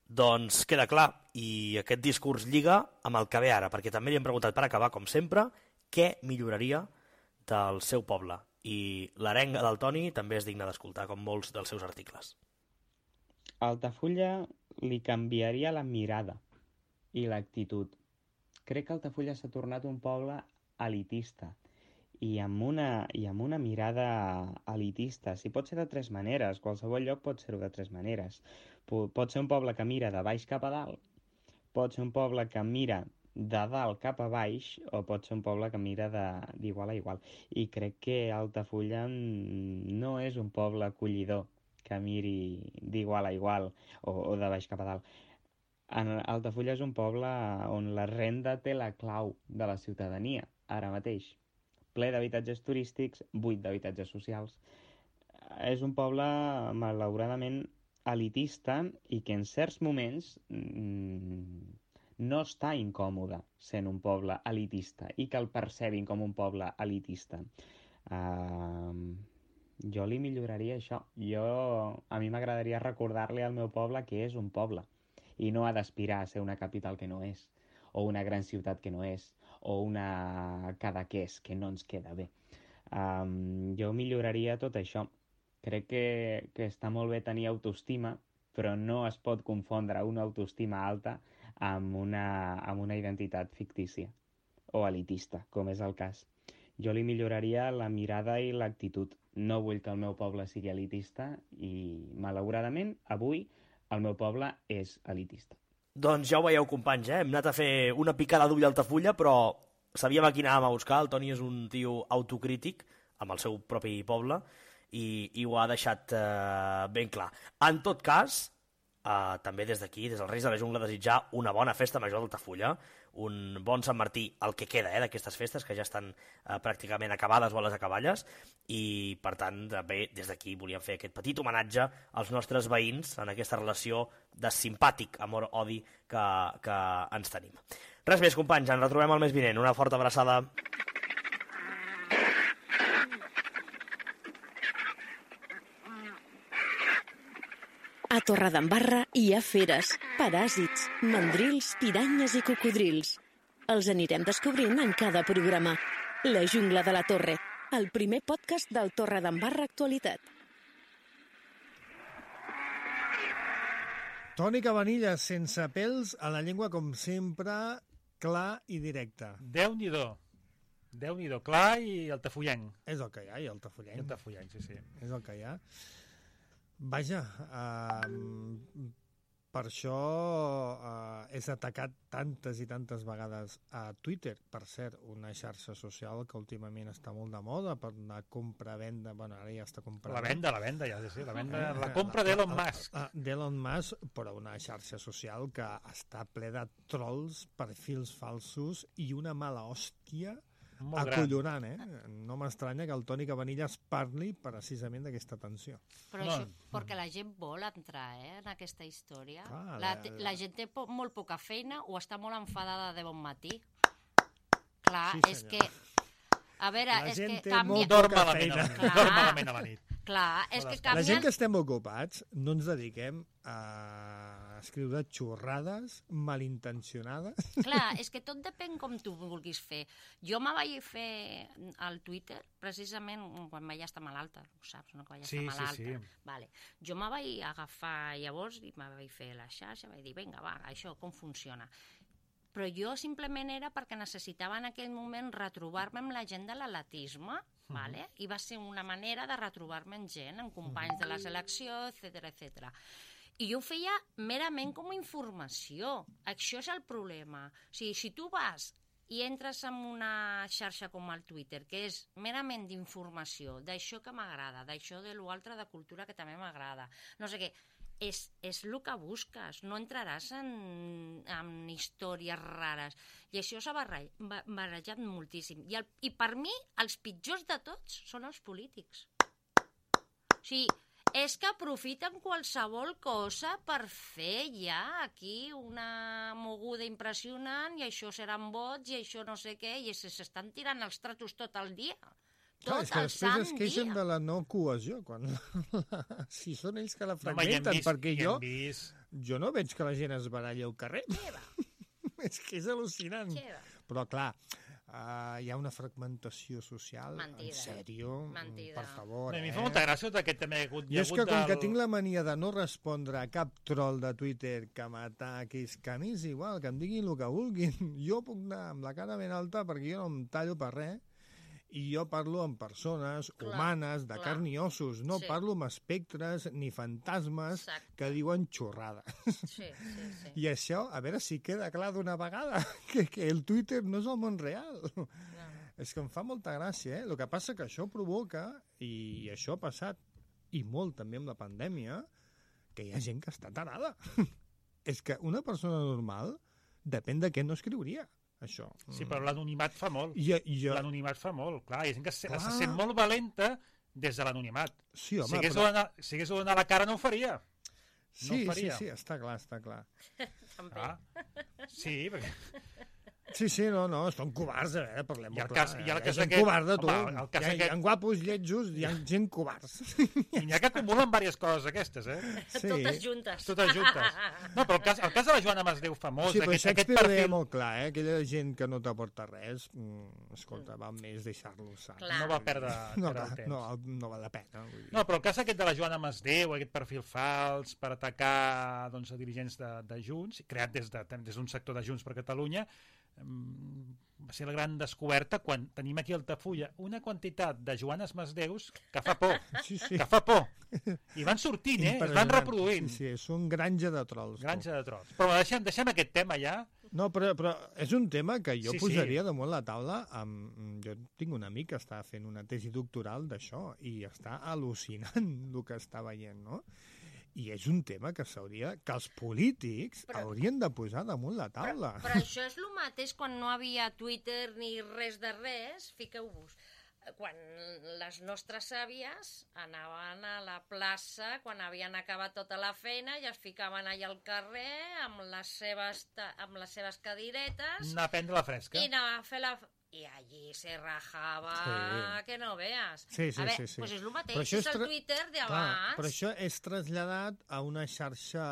Doncs queda clar, i aquest discurs lliga amb el que ve ara, perquè també li hem preguntat per acabar, com sempre, què milloraria del seu poble. I l'arenga del Toni també és digna d'escoltar, com molts dels seus articles. A Altafulla li canviaria la mirada i l'actitud. Crec que Altafulla s'ha tornat un poble elitista, i amb una, i amb una mirada elitista. Si pot ser de tres maneres, qualsevol lloc pot ser-ho de tres maneres. Pot ser un poble que mira de baix cap a dalt, pot ser un poble que mira de dalt cap a baix, o pot ser un poble que mira d'igual a igual. I crec que Altafulla no és un poble acollidor que miri d'igual a igual o, o de baix cap a dalt. Altafulla és un poble on la renda té la clau de la ciutadania, ara mateix. Ple d'habitatges turístics, buit d'habitatges socials. És un poble, malauradament, elitista i que en certs moments mmm, no està incòmode sent un poble elitista i que el percebin com un poble elitista. Uh, jo li milloraria això. Jo, a mi m'agradaria recordar-li al meu poble que és un poble i no ha d'aspirar a ser una capital que no és, o una gran ciutat que no és, o una Cadaqués que no ens queda bé. Um, jo milloraria tot això. Crec que, que està molt bé tenir autoestima, però no es pot confondre una autoestima alta amb una, amb una identitat fictícia o elitista, com és el cas. Jo li milloraria la mirada i l'actitud. No vull que el meu poble sigui elitista i, malauradament, avui el meu poble és elitista. Doncs ja ho veieu, companys, eh? Hem anat a fer una picada d'ull a Altafulla, però sabíem a quina anàvem a buscar. El Toni és un tio autocrític amb el seu propi poble i, i ho ha deixat eh, ben clar. En tot cas, eh, també des d'aquí, des dels Reis de la Jungla, desitjar una bona festa major d'Altafulla, un bon Sant Martí, el que queda eh, d'aquestes festes, que ja estan eh, pràcticament acabades o a les acaballes, i per tant, també des d'aquí volíem fer aquest petit homenatge als nostres veïns en aquesta relació de simpàtic amor-odi que, que ens tenim. Res més, companys, ens retrobem el mes vinent. Una forta abraçada. A Torredembarra hi ha feres, paràsits, mandrils, piranyes i cocodrils. Els anirem descobrint en cada programa. La Jungla de la Torre, el primer podcast del Torredembarra Actualitat. Tònica Vanilla, sense pèls a la llengua, com sempre, clar i directe. Déu-n'hi-do. Déu-n'hi-do. Clar i altafollenc. És el que hi ha, i el I tafollenc. altafollenc, sí, sí. És el que hi ha. Vaja, uh, per això uh, és atacat tantes i tantes vegades a Twitter. Per cert, una xarxa social que últimament està molt de moda per una compra-venda. Bueno, ara ja està compra-venda. La venda, la venda, ja, sí, sí. La, venda, la compra d'Elon Musk. Uh, D'Elon Musk, però una xarxa social que està ple de trolls, perfils falsos i una mala hòstia Molt gran. acollonant, eh? No m'estranya que el Tònica Vanilla es parli precisament d'aquesta tensió. Però No. això, perquè la gent vol entrar eh, en aquesta història. Clar, la, la- la gent té po molt poca feina o està molt enfadada de bon matí. Clar, Sí, és senyor. que... A veure, La és gent que té canvia... molt Dorm poca malament a la feina. nit. Clar. Dorm malament a la nit. Clar, és que La La canvien... gent que estem ocupats no ens dediquem a escriure xorrades malintencionades. Clar, és que tot depèn com tu vulguis fer. Jo me vaig fer al Twitter, precisament quan vaig estar malalta, ho saps, no? Que vaig Sí, estar sí, malalta. sí. Vale. Jo me vaig agafar llavors i me vaig fer la xarxa, vaig dir, vinga, va, això com funciona. Però jo simplement era perquè necessitava en aquell moment retrobar-me amb la gent de l'atletisme, vale? I va ser una manera de retrobar-me amb gent, amb companys de la selecció, etcètera, etcètera. I jo ho feia merament com a informació. Això és el problema. O sigui, si tu vas i entres en una xarxa com el Twitter, que és merament d'informació, d'això que m'agrada, d'això de l'altre de cultura que també m'agrada, no sé què, és, és el que busques, no entraràs en, en històries rares. I això s'ha barre- ba- barrejat moltíssim. I, el, I per mi, els pitjors de tots són els polítics. O sigui, és que aprofiten qualsevol cosa per fer ja aquí una moguda impressionant i això seran vots i això no sé què, i se- s'estan tirant els tratos tot el dia. Clar, Tot és que el després sant es queixen dia. de la no cohesió, quan si són ells que la Home, ja hem fragmenten, vist, perquè ja jo, hem vist. jo no veig que la gent es baralli al carrer. És que és al·lucinant. Xeva. Però, clar, uh, hi ha una fragmentació social, Mentida. en sèrio, Mentida. per favor. A mi em eh? fa molta gràcia tot aquest tema. Hi ha hagut, hi I ha és hagut que com del- que tinc la mania de no respondre a cap troll de Twitter que m'ataqui, que a mi és igual, que em diguin el que vulguin. Jo puc anar amb la cara ben alta perquè jo no em tallo per res i jo parlo amb persones Clar, humanes, de clar. carn i ossos. No Sí. parlo amb espectres ni fantasmes Exacte. que diuen xorrades. Sí, sí, sí. I això, a veure si queda clar d'una vegada, que, que el Twitter no és el món real. No. És que em fa molta gràcia, eh? El que passa que això provoca, i això ha passat, i molt també amb la pandèmia, que hi ha gent que està tarada. És que una persona normal depèn de què no escriuria, això. Sí, però l'anonimat fa molt. I, i jo... L'anonimat fa molt, clar. Hi ha gent que se, Clar. se sent molt valenta des de l'anonimat. Sí, home, Si hagués però... de donar- si hagués de donar la cara no ho faria. Sí, no ho sí, faria. sí, està clar, està clar. També. Ah. Sí, perquè... Sí, sí, no, no, són covards, a veure, parlem I el molt cas- clar. i el Hi ha cas gent aquest- covarda, tu. home, el cas Hi ha, hi aquest- ha guapos, lletjos, hi ha gent covards. I n'hi ha que acumulen diverses coses aquestes, eh? Sí. Totes juntes. Totes juntes. No, però el cas, el cas de la Joana Masdeu famós, Sí, però aquest, aquest Shakespeare ho deia perfil... molt clar, eh? Aquella gent que no t'aporta res, mm, escolta, val més deixar-los sants. Clar. No va perdre, No, perdre va, el temps. no, no val la pena. Vull dir. No, però el cas aquest de la Joana Masdeu, aquest perfil fals per atacar doncs, a dirigents de, de Junts, creat des d'un de, des d'un sector de Junts per Catalunya, mm, va ser la gran descoberta quan tenim aquí a Altafulla una quantitat de Joanes Masdeus que fa por, Sí, sí. que fa por. I van sortint, eh? Es van Impressionant. reproduint. Sí, sí, és un granja de trolls. tu. Granja de trolls. Però deixem, deixem aquest tema ja. No, però, però és un tema que jo Sí, sí. posaria damunt la taula. Amb... Jo tinc un amic que està fent una tesi doctoral d'això i està al·lucinant el que està veient, no? I és un tema que s'hauria, que els polítics Però- haurien de posar damunt la taula. Però, però això és el mateix quan no havia Twitter ni res de res, fiqueu-vos. Quan les nostres àvies anaven a la plaça, quan havien acabat tota la feina, i es ficaven allà al carrer amb les seves, ta- amb les seves cadiretes Anar a prendre la fresca. i anaven a fer la... i allí se rajava Sí. que no veas. Sí, sí, a veure, sí, sí. pues és el mateix, Però això és és el tra- Twitter Clar, d'abans. però això és traslladat a una xarxa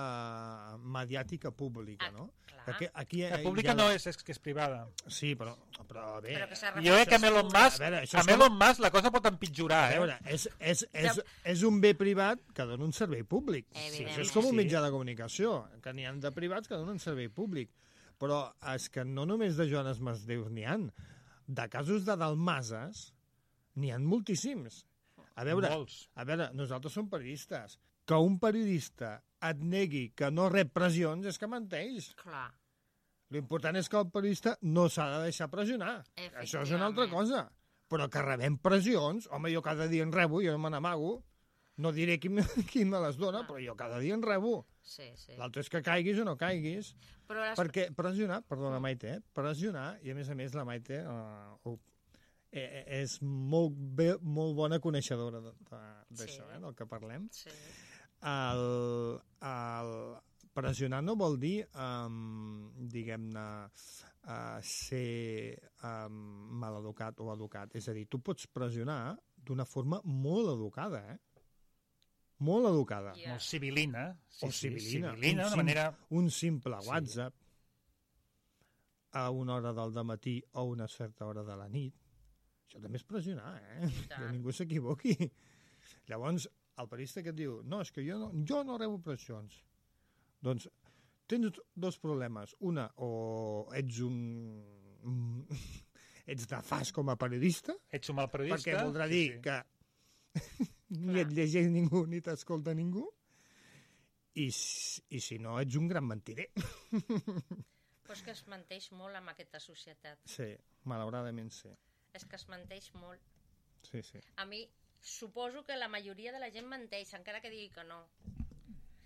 mediàtica pública, no? Ah, clar. Perquè aquí La hi pública ha- no és, és que és privada. Sí, però, però bé... Però que s'ha Jo crec que amb Elon Musk, A veure, això és amb Elon Musk la cosa pot empitjorar, A eh? veure, és, és, és, és un bé privat que dona un servei públic. Evidentment. Això és com un Sí. mitjà de comunicació, que n'hi ha de privats que donen servei públic. Però és que no només de Joanes Masdeus n'hi han. De casos de dalmases n'hi han moltíssims. A veure, Molts. a veure, nosaltres som periodistes. Que un periodista et negui que no rep pressions és que menteix. Clar. L'important és que el periodista no s'ha de deixar pressionar. Això és una altra Efectivament. cosa. Però que rebem pressions, home, jo cada dia en rebo, jo me n'amago. No diré qui, me- qui me les dona, però jo cada dia en rebo. Sí, sí. L'altre és que caiguis o no caiguis. Però les... Perquè pressionar, perdona Maite, eh? pressionar, i a més a més la Maite uh, uh, eh, és molt, bé, molt bona coneixedora de- de- d'això, Sí. eh, del que parlem. Sí. El, el pressionar no vol dir, um, diguem-ne, uh, ser um, maleducat o educat. És a dir, tu pots pressionar d'una forma molt educada, eh? Molt educada. Ja. Molt civilina. Sí, O sí, civilina. civilina, Un una sim- manera... Un simple Sí. WhatsApp a una hora del dematí o a una certa hora de la nit. Això també és pressionar, eh? tant. Que ningú s'equivoqui. Llavors, el periodista que et diu no, és que jo no, jo no rebo pressions. Doncs tens dos problemes. Una, o ets un... ets nefast com a periodista, Ets un mal periodista. perquè voldrà sí, dir sí. que ni et llegeix ningú ni t'escolta ningú, i, s- i si no, ets un gran mentider. Però és que es menteix molt amb aquesta societat. Sí, malauradament sí. És que es menteix molt. Sí, sí. A mi suposo que la majoria de la gent menteix, encara que digui que no.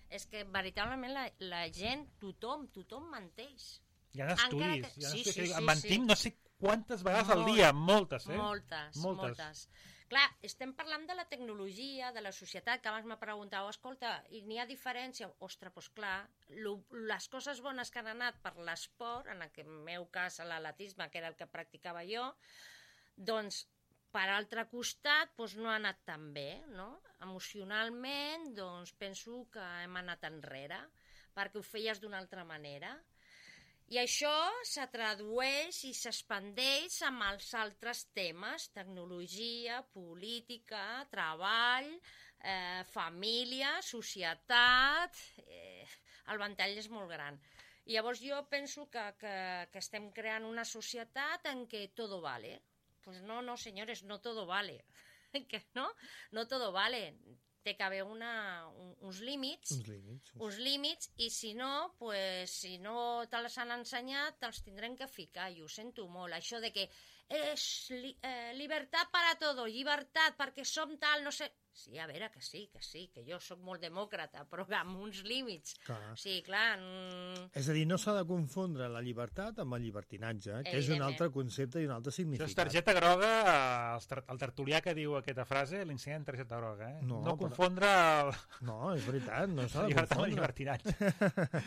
És que veritablement la, la gent, tothom, tothom menteix. Hi ha estudis. Encara Hi que- ha sí, estudis sí, que sí, diuen, mentim sí. no sé quantes vegades al Molt. dia. Moltes, eh? Moltes, moltes, moltes. Clar, estem parlant de la tecnologia, de la societat, que abans me preguntau, escolta, i n'hi ha diferència? Ostres, doncs clar, lo, les coses bones que han anat per l'esport, en el meu cas l'atletisme, que era el que practicava jo, doncs per altre costat doncs no ha anat tan bé, no? Emocionalment, doncs penso que hem anat enrere, perquè ho feies d'una altra manera. I això se tradueix i s'expandeix amb els altres temes, tecnologia, política, treball, eh, família, societat... Eh, el ventall és molt gran. I llavors jo penso que, que, que estem creant una societat en què todo vale. Pues no, no, señores, no todo vale. Que no? No todo vale. Té que haver una, un, uns límits, Uns límits. uns límits, i si no, pues, si no te'ls han ensenyat, te'ls tindrem que ficar, i ho sento molt. Això de que és li, eh, llibertat per a tot, llibertat perquè som tal, no sé... Sí, a veure, que sí, que sí, que jo sóc molt demòcrata, però amb uns límits. Clar. Sí, clar... Mm, És a dir, no s'ha de confondre la llibertat amb el llibertinatge, que és un Evidentment. altre concepte i un altre Això és significat. targeta groga, el, tar el tertulià que diu aquesta frase l'ensenya en targeta groga, eh? No, No, però- confondre el... No, és veritat, no s'ha la de llibertat amb el confondre. llibertinatge.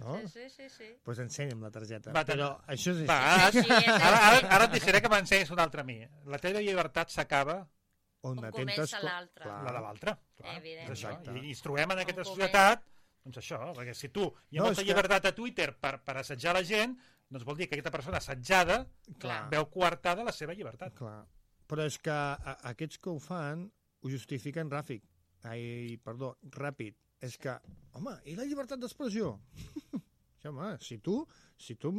No? sí, sí, sí, sí. Doncs pues ensenya'm la targeta. Va, Però això és així. Va, ara, Sí, sí, és ara, ara, així. ara et deixaré que m'ensenyis una altra a mi. La teva llibertat s'acaba, On, On atentes comença co- l'altre. Clar. la de l'altre. clar, Evidentment. és això. Exacte. I ens trobem en aquesta On societat, doncs això, perquè si tu hi ha No, molta és que- llibertat a Twitter per, per assetjar la gent, doncs vol dir que aquesta persona assetjada Clar. veu coartada la seva llibertat. Clar. Però és que a, aquests que ho fan ho justifiquen ràfic. Ai, perdó, ràpid. És que, home, i la llibertat d'expressió? Sí, home, si tu, si tu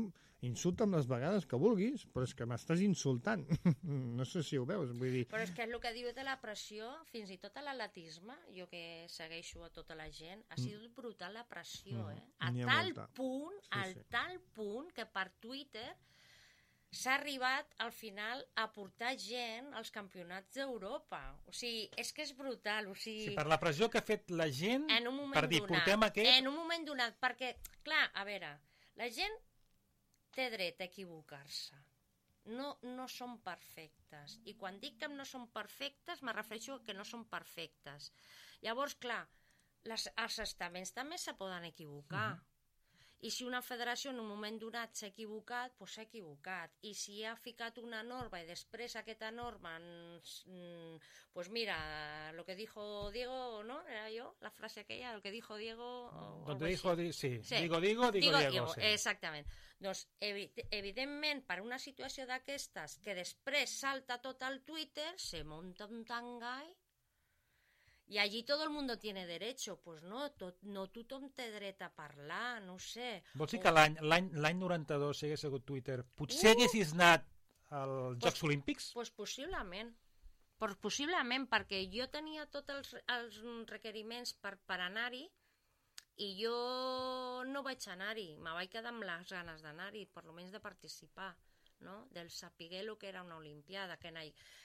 insulta'm les vegades que vulguis, però és que m'estàs insultant. No sé si ho veus, vull dir... Però és que el que diu de la pressió, fins i tot a l'atletisme, jo que segueixo a tota la gent, ha sigut brutal la pressió, Mm, eh? A n'hi ha tal molta. punt, Sí, al sí. tal punt que per Twitter s'ha arribat al final a portar gent als campionats d'Europa. O sigui, és que és brutal, o sigui... Sí, per la pressió que ha fet la gent En un moment per dir, donat, portem aquest... en un moment donat, perquè, clar, a veure, la gent té dret a equivocar-se. No, no són perfectes. I quan dic que no són perfectes, me refereixo a que no són perfectes. Llavors, clar, les, els estaments també se poden equivocar. I si una federació en un moment donat s'ha equivocat, doncs s'ha equivocat. I si ha ficat una norma i després aquesta norma, doncs mira, lo que dijo Diego, ¿no? Era yo, la frase aquella, lo que dijo Diego... Donde dijo, di, sí. sí, digo, digo, digo, digo Diego. Sí. Exactament. Doncs, evidentment, per una situació d'aquestes, que després salta tot al Twitter, se monta un tangall, i allí tot el mundo tiene derecho. Pues no, tot, no tothom té dret a parlar, no ho sé. Vols dir que l'any noranta-dos, si hagués sigut Twitter, potser uh! haguessis anat als Jocs pues, Olímpics? Doncs pues possiblement. Pues possiblement, perquè jo tenia tots els, els requeriments per, per anar-hi i jo no vaig anar-hi. Me vaig quedar amb les ganes d'anar-hi, per almenys de participar. No? Del saber el que era una olimpiada, que,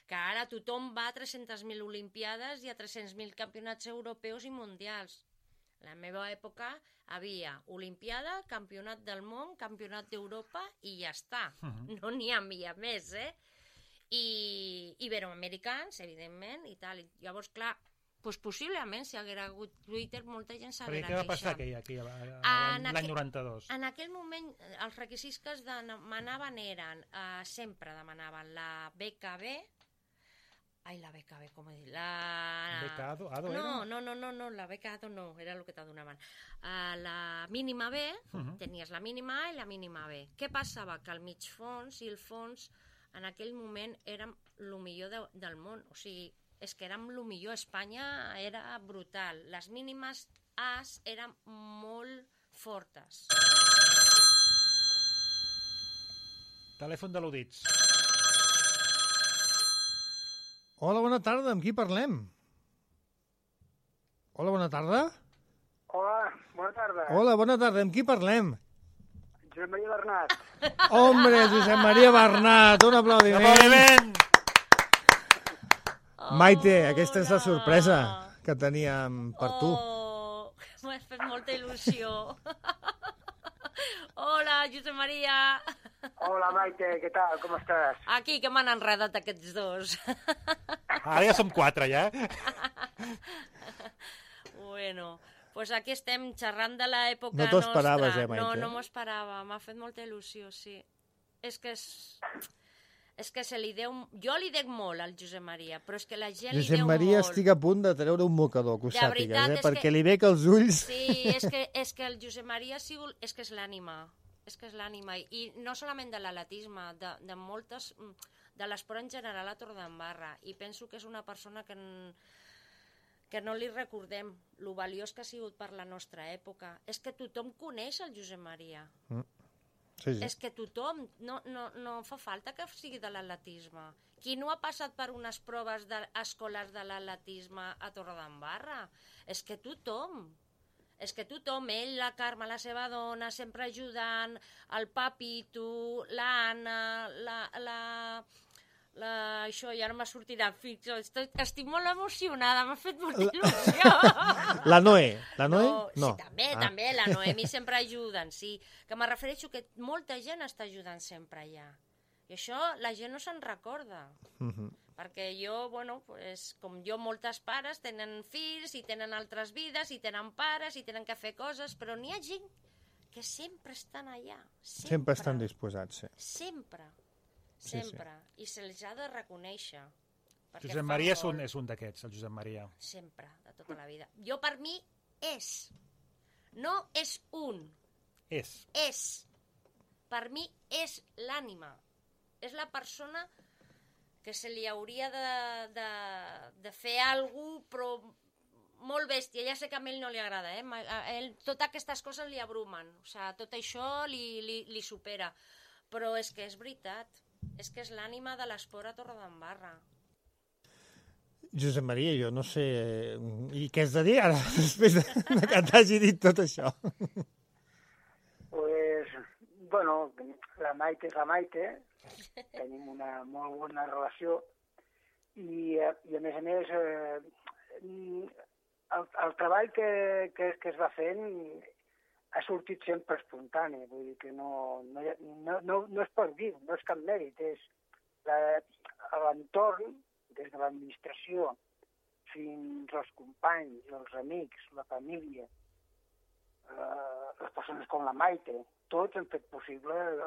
que ara tothom va a tres-centes mil olimpiades i a tres-cents mil campionats europeus i mundials. En la meva època havia olimpiada, campionat del món, campionat d'Europa i ja està. Uh-huh. No n'hi havia més, eh? I iberoamericans, evidentment, i tal. I llavors, clar, pues possiblement, si haguera hagut Twitter, molta gent s'haguera queixat. Què va passar aquell, aquell, l'any noranta-dos? En aquell moment, els requisits que es demanaven eren, eh, sempre demanaven la B K B, ai, la B K B, com he dit? La... B K A D O, A D O no, era? No, no, no, no, la B K A D O no, era el que te donaven. Uh, la mínima B, uh-huh. Tenies la mínima A i la mínima B. Què passava? Que el mig fons i el fons en aquell moment eren el millor de, del món, o sigui, és que érem el millor. Espanya era brutal. Les mínimes A's eren molt fortes. Telèfon de l'Udits. Hola, bona tarda. Amb qui parlem? Hola, bona tarda. Hola, bona tarda. Hola, bona tarda. Amb qui parlem? Josep Maria Bernat. Hombre, Josep Maria Bernat. Un aplaudiment. Un aplaudiment. Maite, aquesta és la sorpresa que teníem per tu. Oh, m'ha fet molta il·lusió. Hola, Josep Maria. Hola, Maite, què tal? Com estàs? Aquí, que m'han enredat aquests dos. Ara ja som quatre, ja. Bueno, pues aquí estem xerrant de l'època nostra. No t'ho esperaves, eh, Maite? No, no m'ho esperava. M'ha fet molta il·lusió, sí. És que és... És que se li deu... Jo li dec molt al Josep Maria, però és que la gent Josep li deu Maria, molt. estic a punt de treure un mocador, que ho De sàpigues, veritat, eh? és Perquè que- li veig els ulls... Sí, és que, és que el Josep Maria ha sigut... És que és l'ànima. És que és l'ànima. I no solament de l'atletisme, de, de moltes... De l'esport en general a Torredembarra. I penso que és una persona que... En, que no li recordem lo valiós que ha sigut per la nostra època. És que tothom coneix el Josep Maria. Mm. Sí, sí. És que tothom, no, no, no fa falta que sigui de l'atletisme. Qui no ha passat per unes proves de, escolars de l'atletisme a Torredembarra? És que tothom. És que tothom, ell, la Carme, la seva dona, sempre ajudant, el Papito, l'Anna, la... la La, això ja no m'ha sortit fix, estic, estic molt emocionada, m'ha fet molta il·lusió. La Noé, la Noé? No, No. sí, també, Ah. també, la Noemi sempre ajuden, sí, que me refereixo que molta gent està ajudant sempre allà, i això la gent no se'n recorda, Mhm. perquè jo, bueno, pues, com jo, moltes pares tenen fills i tenen altres vides i tenen pares i tenen que fer coses, però n'hi ha gent que sempre estan allà, sempre, Sempre estan disposats, sí. sempre. Sí, sí. Sempre, i se'ls ha de reconèixer. perquè Josep fan Maria és molt. un, és un d'aquests, el Josep Maria. Sempre, de tota la vida. Jo, per mi, és. No és un, És. és. Per mi, és l'ànima. És la persona que se li hauria de, de, de fer alguna cosa, però molt bèstia. Ja sé que a ell no li agrada, eh? A ell, totes aquestes coses li abrumen. O sigui, tot això li, li, li supera. Però és que és veritat. És que és l'ànima de l'esport a Torredembarra. Josep Maria, jo no sé... I què has de dir ara, després de, de que t'hagi dit tot això? Pues, bueno, la Maite és la Maite, tenim una molt bona relació i, eh, i a més a més, eh, el, el treball que, que, que es va fent ha sortit sempre espontani, vull dir que no, no, hi ha- no, no, no es pot dir, no és cap mèrit, és la- l'entorn, des de l'administració fins als companys, els amics, la família, eh, les persones persones com la Maite, tots han fet possible el,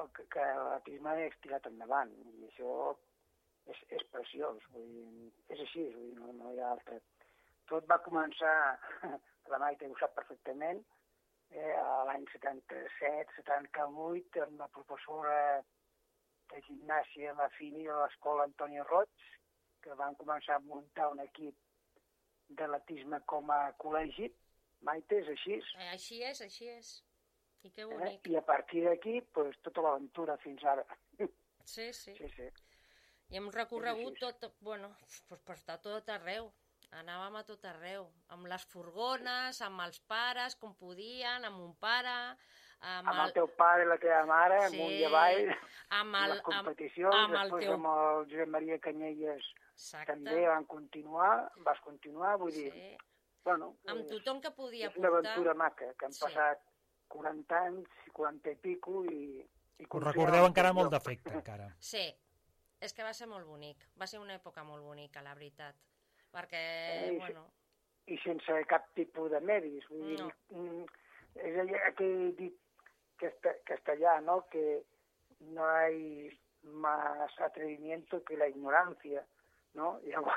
el, que l'atletisme hagués tirat endavant, i això és, és preciós, vull dir, és així, vull dir, no, no hi ha altre. Tot va començar, la Maite ho sap perfectament, eh, l'any setanta-set setanta-vuit, amb la professora de gimnàsia, la Fini, de l'escola Antoni Roig, que van començar a muntar un equip d'atletisme com a col·legi. Maite, és així. Eh, així és, així és. I que bonic. Eh? I a partir d'aquí, pues, tota l'aventura fins ara. Sí, sí. Sí, sí. I hem recorregut tot, bueno, pues, per estar tot arreu. Anàvem a tot arreu, amb les furgones, amb els pares, com podien, amb un pare... Amb, amb el teu pare i la teva mare, sí, amunt i avall, amb el, les competicions, amb, amb després teu... amb el Josep Maria Canyelles Exacte. També van continuar, vas continuar, vull sí. dir... Bueno, amb tothom que podia és una portar... aventura maca, que han sí. passat quaranta anys, quaranta i pico, i... i Us recordeu encara molt d'efecte, encara. Sí, és que va ser molt bonic, va ser una època molt bonica, la veritat, perquè, I, bueno... I sense cap tipus de medis, vull dir... No. És aquell dit castellà, ¿no?, que no hay más atrevimiento que la ignorancia, ¿no? Llavors,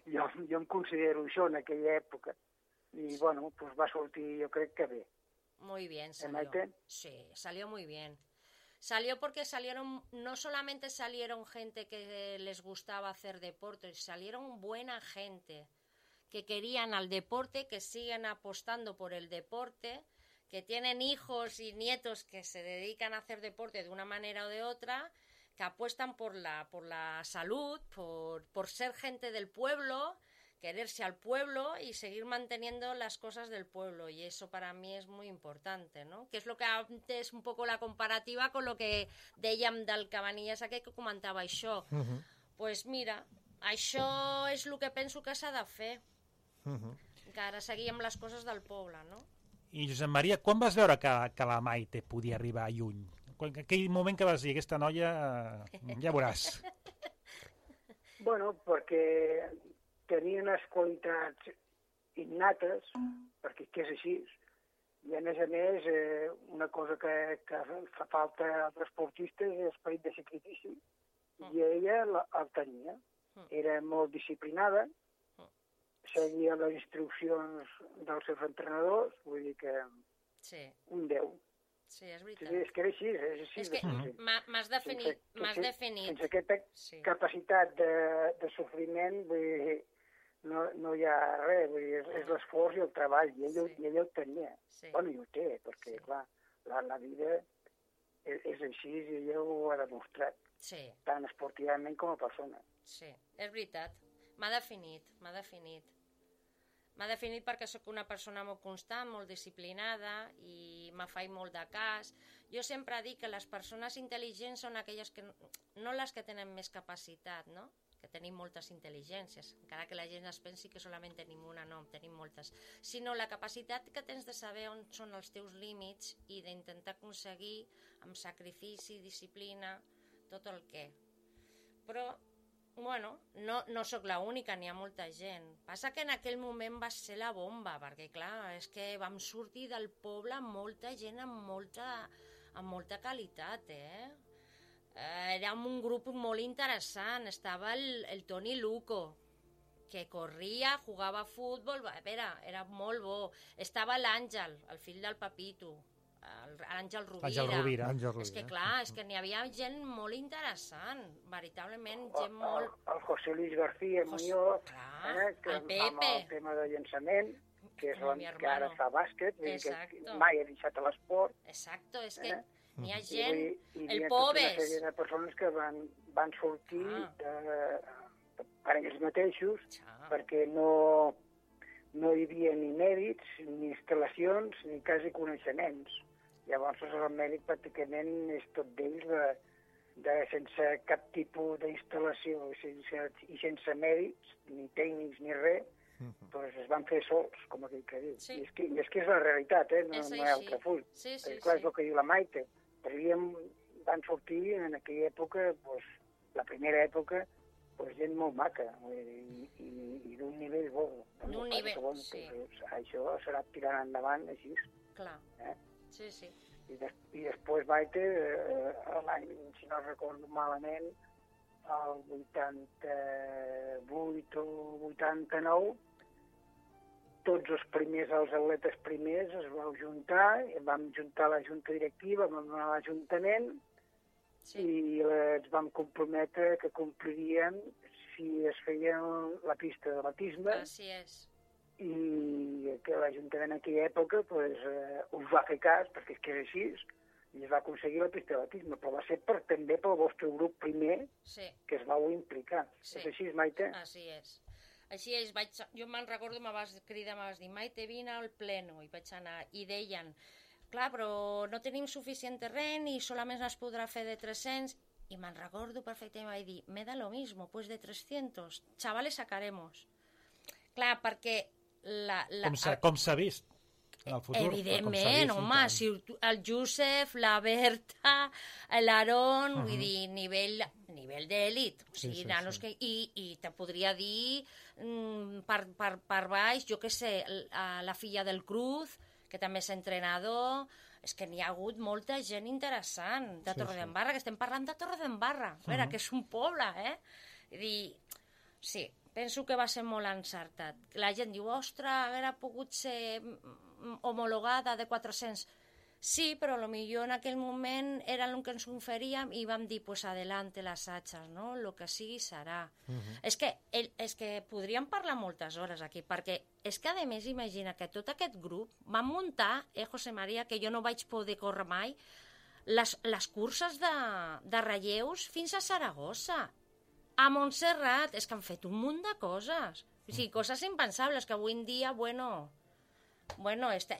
jo, jo em considero això en aquella època. I, sí. bueno, pues va sortir, jo crec que bé. Muy bien salió. Sí, salió muy bien. Salió porque salieron, no solamente salieron gente que les gustaba hacer deporte, salieron buena gente que querían al deporte, que siguen apostando por el deporte, que tienen hijos y nietos que se dedican a hacer deporte de una manera o de otra, que apuestan por la, por la salud, por, por ser gente del pueblo, quererse al pueblo y seguir manteniendo las cosas del pueblo. Y eso para mí es muy importante, ¿no? Que és lo que antes un poco la comparativa con lo que dèiem del Cabanillas aquell que comentava això. Uh -huh. Pues mira, això és el que penso que s'ha de fer. Uh -huh. Que ara seguíem les coses del poble, no? I Josep Maria, quan vas veure que, que la Maite podia arribar lluny? En aquell moment que vas dir, aquesta noia, ja veuràs. Bueno, perquè tenia unes qualitats innates, perquè que és així, i a més a més, eh, una cosa que, que fa falta als esportistes és l'esperit de sacrifici, i ella la, el tenia. Era molt disciplinada, seguia les instruccions dels seus entrenadors, vull dir que sí. un deu. Sí, és veritat. Sí, és que era així, és així. És que m'has definit, m'has definit. Sense aquesta sí. capacitat de, de sofriment, vull dir, no, no hi ha res, vull dir, és, és l'esforç i el treball, i ell, sí. i ell ho tenia. Sí. Bueno, i ho té, perquè, sí. clar, la, la vida és, és així i ella ho ha demostrat, sí. tant esportivament com a persona. Sí, és veritat. M'ha definit, m'ha definit. M'ha definit perquè sóc una persona molt constant, molt disciplinada i me faig molt de cas. Jo sempre dic que les persones intel·ligents són aquelles que no les que tenen més capacitat, no? Que tenim moltes intel·ligències, encara que la gent es pensi que solament tenim una, no, tenim moltes, sinó la capacitat que tens de saber on són els teus límits i d'intentar aconseguir amb sacrifici, disciplina, tot el que. Però bueno, no, no sóc l'única, n'hi ha molta gent. Passa que en aquell moment va ser la bomba, perquè clar, és que vam sortir del poble amb molta gent amb molta, amb molta qualitat, eh? Érem un grup molt interessant, estava el, el Toni Luco, que corria, jugava a futbol, era, era molt bo. Estava l'Àngel, el fill del Papito, l'Àngel Rovira. Àngel Rovira. És que clar, és que n'hi havia gent molt interessant, veritablement, gent molt... El, el José Luis García Muñoz, clar, eh, que el Pepe. amb el tema de llançament, que és el que ara fa bàsquet, que mai ha deixat l'esport. Exacto, és que eh? n'hi ha gent, I, i, el hi ha Pobes. Tota una sèrie de persones que van, van sortir ah. de, per ells mateixos, ah. perquè no, no hi havia ni mèrits, ni instal·lacions, ni quasi coneixements. Llavors el mèrit pràcticament és tot d'ells, de, de, sense cap tipus d'instal·lació sense, i sense mèrits, ni tècnics ni res, uh -huh. doncs es van fer sols, com aquell que diu. Sí. I, és que, I és que és la realitat, eh? no, és no hi ha altre full. Sí, sí, Perquè, clar, sí. és el que diu la Maite. Però havíem, van sortir en aquella època, doncs, la primera època, doncs, gent molt maca, i, i, i d'un nivell bo. D'un nivell, bon, sí. Doncs, això serà tirant endavant així. Clar. Eh? Sí, sí. I, des, i després Maite, eh, l'any, si no recordo malament, el vuitanta-vuit o vuitanta-nou, tots els primers, els atletes primers, es vau juntar, vam juntar la junta directiva, vam anar a l'Ajuntament, sí. I ens vam comprometre que compliríem si es feia la pista de batisme. Així és. I que l'Ajuntament en aquella època pues, eh, us va fer cas, perquè és que és així, i es va aconseguir la pista de batisme, però va ser per, també pel vostre grup primer, sí. Que es vau implicar. Sí. És així, Maite? Així és. Així és, vaig, jo me'n recordo, me vas cridar, me vas dir, Maite, vine al pleno, i vaig anar, i deien, clar, però no tenim suficient terreny i solament es podrà fer de tres-cents, i me'n recordo perfectament, vaig dir, me da lo mismo, pues de trescientos, chavales sacaremos. Clar, perquè la... la com s'ha com s'ha vist en el futur. Evidentment, vist, home, si el Josep, la Berta, l'Aaron, uh -huh. vull dir, nivell, nivell d'èlit, o sigui, sí, sí, nanos sí. Que... I, i te podria dir mm, per, per, per baix, jo què sé, la, la filla del Cruz, que també és entrenador, és que n'hi ha hagut molta gent interessant de sí, Torredembarra, sí. Que estem parlant de Torredembarra, a veure, uh -huh. Que és un poble, eh? Vull dir, sí, penso que va ser molt encertat. La gent diu, ostres, hauria pogut ser homologada de quatre-cents. Sí, però potser en aquell moment era el que ens oferíem i vam dir, pues adelante las hachas, no? Lo que sigui serà. Uh-huh. És que, el, és que podríem parlar moltes hores aquí, perquè és que, a més, imagina que tot aquest grup van muntar, eh, José María, que jo no vaig poder córrer mai, les, les curses de, de relleus fins a Saragossa. A Montserrat, és que han fet un munt de coses. O sigui, coses impensables que avui en dia, bueno, bueno, está,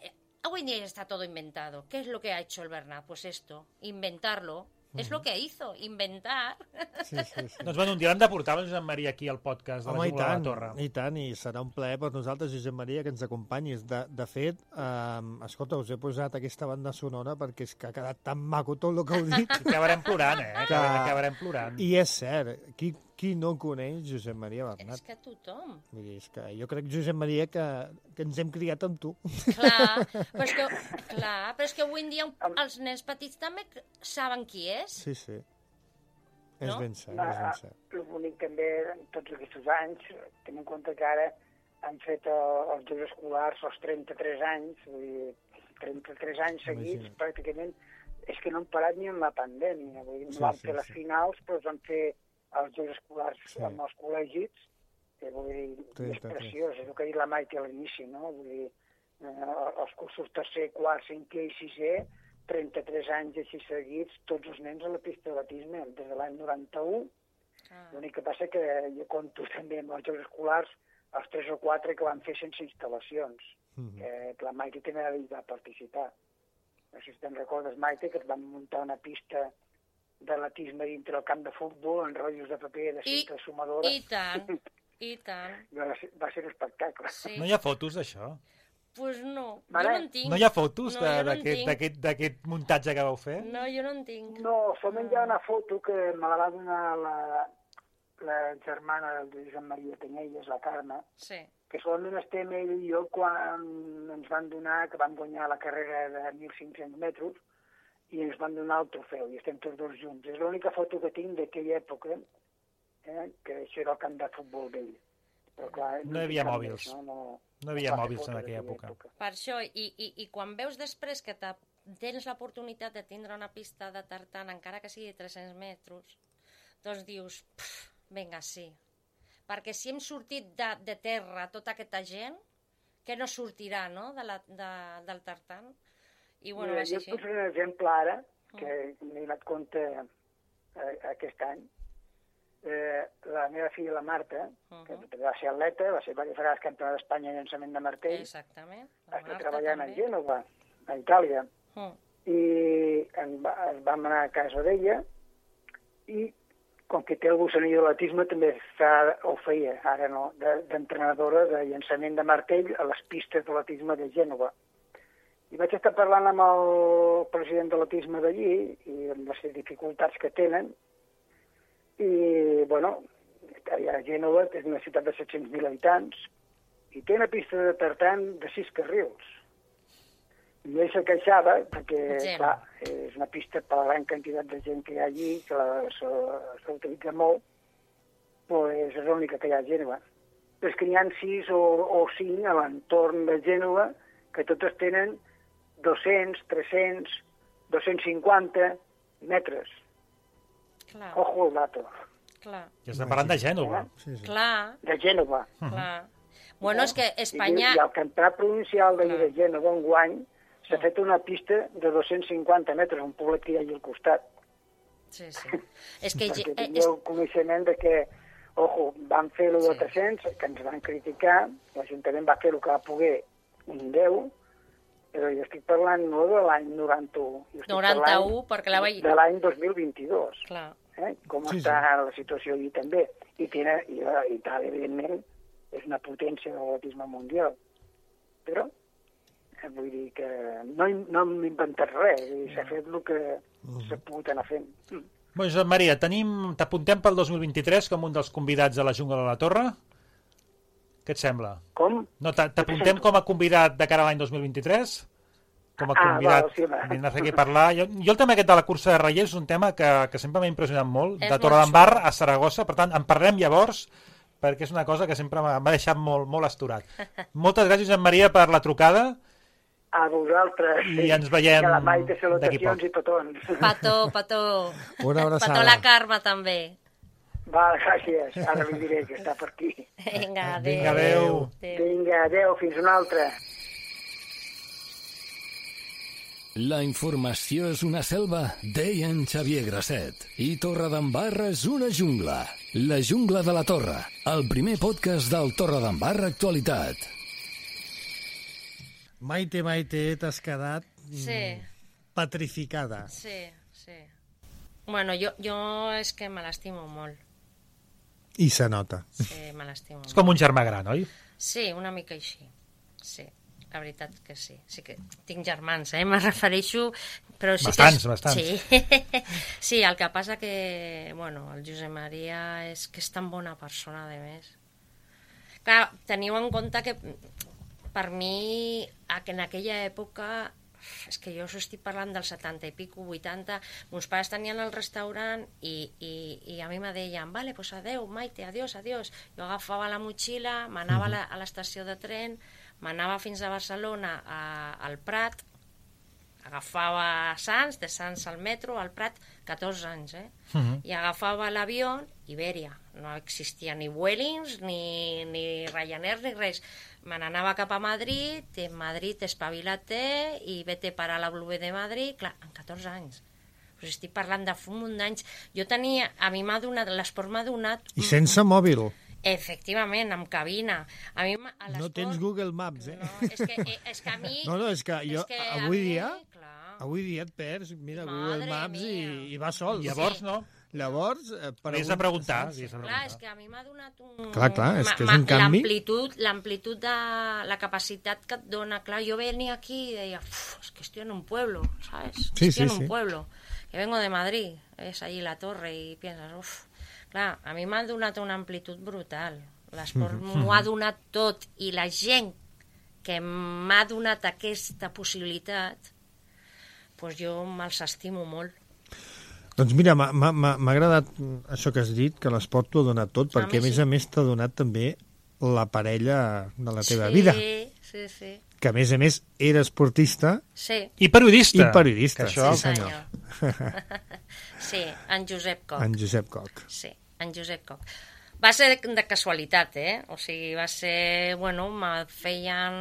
hoy en día está todo inventado. ¿Qué es lo que ha hecho el Bernat? Pues esto, inventarlo. Uh-huh. És lo que hizo, inventar. Sí, sí, sí. Doncs bueno, un dia l'hem de portar el Josep Maria aquí al podcast de Home, la Jungla de la Torre. I tant, i serà un plaer per nosaltres, Josep Maria, que ens acompanyis. De, de fet, eh, escolta, us he posat aquesta banda sonora perquè és que ha quedat tan maco tot el que heu dit. I acabarem plorant, eh? Que... Acabarem plorant. I és cert, qui, qui no coneix Josep Maria Bernat? És que tothom. Vull dir, és que jo crec, Josep Maria, que, que ens hem criat amb tu. Clar, però és que, clar, però és que avui en dia els nens petits també saben qui és. Sí, sí. És no? ben cert, és ben cert. El bonic també, en tots aquests anys, tenim en compte que ara han fet els Jocs Escolars els trenta-tres anys, vull dir, trenta-tres anys seguits, Imagina. Pràcticament, és que no han parat ni en la pandèmia. Vull dir, sí, van fer sí, les sí. finals, però es van fer els Jocs Escolars sí. amb els col·legis, que vull dir, és preciós, és el que ha dit la Maite a l'inici, no? Vull dir, eh, els cursos tercer, quart, cinquè i sisè, trenta-tres anys així seguits, tots els nens a la pista de batisme, des de l'any noranta-u. Ah. L'únic que passa que jo conto també amb els Jocs Escolars els tres o quatre que van fer sense instal·lacions, mm-hmm. que, que la Maite també va participar. No sé si te'n recordes, Maite, que es van muntar una pista d'atletisme dintre el camp de futbol, en rotllos de paper de cinta sumadora. I tant, i tant. Va ser, va ser un espectacle. Sí. No hi ha fotos d'això? Pues no, vale. jo no en tinc. No hi ha fotos no, d'aquest no muntatge que vau fer? No, jo no en tinc. No, solament hi ha una foto que me la va donar la, la germana del Josep Maria Penyelles, la Carme, sí. Que solament estem ell i jo quan ens van donar, que vam guanyar la carrera de mil cinc-cents metres, i ens van donar el trofeu, i estem tots dos junts. És l'única foto que tinc d'aquella època, eh, que això era el camp de futbol vell. Però, clar, no, no hi havia mòbils. Més, no? No, no hi havia mòbils en aquella època. època. Per això, i, i, i quan veus després que tens l'oportunitat de tindre una pista de tartan, encara que sigui de tres-cents metres, doncs dius, vinga, sí. Perquè si hem sortit de, de terra tota aquesta gent, que no sortirà, no?, de la, de, del tartan. I, bueno, Mira, jo així. et posaré un exemple ara, que mm. m'he donat compte eh, aquest any. Eh, la meva filla, la Marta, uh-huh. que va ser atleta, va ser diverses vegades campiona d'Espanya en llançament de martell. Exactament. Està treballant també. A Gènova, a Itàlia. Uh. I en va, en vam anar a casa d'ella i com que té el gossanillo de l'atletisme també fa, ho feia, ara no, d'entrenadora de, de llançament de martell a les pistes de l'atletisme de Gènova. I vaig estar parlant amb el president de l'atletisme d'allí i amb les dificultats que tenen. I, bueno, a Gènova, que és una ciutat de set-cents mil habitants, i té una pista de tartan de sis carrils. I ell se queixava, perquè, Gent. clar, és una pista per la gran quantitat de gent que hi ha allí, que la- se- s'utilitza molt, doncs és l'única que hi ha a Gènova. Però és que n'hi ha sis o, o cinc a l'entorn de Gènova que totes tenen dos-cents, tres-cents, dos-cents cinquanta metres. Clar, Ojo el dato. clar, Ja estem parlant de Gènova. Sí, sí. clar, De Gènova. clar. Bueno, és que Espanya... I, i el campionat provincial de, Clar. de Gènova enguany s'ha fet una pista de dos-cents cinquanta metres, un poblet que hi ha allà al costat. Sí, sí. És que... Perquè eh, és... tingueu coneixement de que, ojo, van fer el de Sí. tres-cents, que ens van criticar, l'Ajuntament va fer el que va poder, un deu, però jo estic parlant no de l'any noranta-u. jo estic noranta-u, parlant perquè la vaig... de l'any dos mil vint-i-dos. Clar, Eh? Com Sí, està la situació allí també. I, tiene, i la Itàlia, evidentment, és una potència de l'atletisme mundial. Però, eh, vull dir que no, hem- no hem inventat res, vull dir, s'ha fet el que s'ha pogut anar fent. Mm. Bé, Josep Maria, tenim... t'apuntem pel dos mil vint-i-tres com un dels convidats de la Jungla de la Torre? Què et sembla? Com? No, t'a- t'apuntem com a convidat de cara a l'any dos mil vint-i-tres? Com a Ah, convidat, val, sí, va. vindràs aquí a parlar. Jo, jo el tema aquest de la cursa de Reyes és un tema que, que sempre m'ha impressionat molt, És de molt Torredembarra a Saragossa, per tant, en parlem llavors, perquè és una cosa que sempre m'ha m'ha deixat molt, molt asturat. Moltes gràcies, Josep Maria, per la trucada. A vosaltres. I ens veiem Que la Maite d'aquí salutacions poc. i petons. Pató, pató. Una abraçada. Pató la Carme, també. Va, gràcies. Ara li diré que està per aquí. Vinga, adéu. Vinga, adéu. Vinga, adeu, fins una altra. La informació és una selva, deia en Xavier Grasset. I Torredembarra és una jungla. La jungla de la Torre, el primer podcast del Torredembarra Actualitat. Maite, Maite, t'has quedat Sí, petrificada. sí, sí. Bueno, jo, jo és que me l'estimo molt. I se nota. Sí, me l'estimo És molt. com un germà gran, oi? Sí, una mica així. Sí, la veritat que sí. Sí que tinc germans, eh? Me refereixo... Però sí Bastants, que és... bastants. Sí. Sí, el que passa que, bueno, el Josep Maria és que és tan bona persona, de més. Clar, teniu en compte que per mi, a- que en aquella època, és que jo us estic parlant del setanta i pico, vuitanta, meus pares tenien el restaurant i, i, i a mi me deien, vale, pues adeu, Maite, adiós, adiós. Jo agafava la motxilla, m'anava a la- a l'estació de tren, m'anava fins a Barcelona, a, al Prat, agafava Sants, de Sants al metro, al Prat, catorze anys, eh? Mhm. I agafava l'avió, Iberia. No existia ni Vuelings, ni, ni Ryanair, ni res. Me n'anava cap a Madrid, i en Madrid espavila-te i vete per a la W de Madrid, clar, en catorze anys. Us estic parlant de fa un munt d'anys. Jo tenia, a mi m'ha donat, l'esport m'ha donat... I sense mòbil. Efectivament, amb cabina. A mi, m'ha- a No l'esport- tens Google Maps, eh? No, és que, eh, és que a mi... No, no, és que jo és que a avui mi, dia, clar, avui dia et perds, mira, Madre Google Maps i, mia. i va sol. Llavors, no? Llavors, eh, per Hauries de preguntar. hauries de Clar, preguntar. és que a mi m'ha donat un... Clar, clar, és ma- que és ma- un canvi. L'amplitud, l'amplitud de la capacitat que et dona. Clar, jo venia aquí i deia, "Uf, es que estoy en un pueblo, ¿sabes? Sí, estoy sí, en un sí. pueblo. Que vengo de Madrid, es allí la torre y piensas, uff... Clar, a mi m'ha donat una amplitud brutal. L'esport m'ho ha donat tot i la gent que m'ha donat aquesta possibilitat, doncs jo me'ls estimo molt. Doncs mira, m'ha- m'ha m'ha agradat això que has dit, que l'esport t'ho ha donat tot, A perquè a mi més sí. a més t'ha donat també la parella de la teva sí, vida, Sí, sí, que a més a més era esportista sí. I periodista. i periodista. Que això... Sí, senyor. Sí, en Josep Coc. En Josep Coc. Sí, en Josep Coc. Va ser de, de casualitat, eh? O sigui, va ser... Bueno, me feien...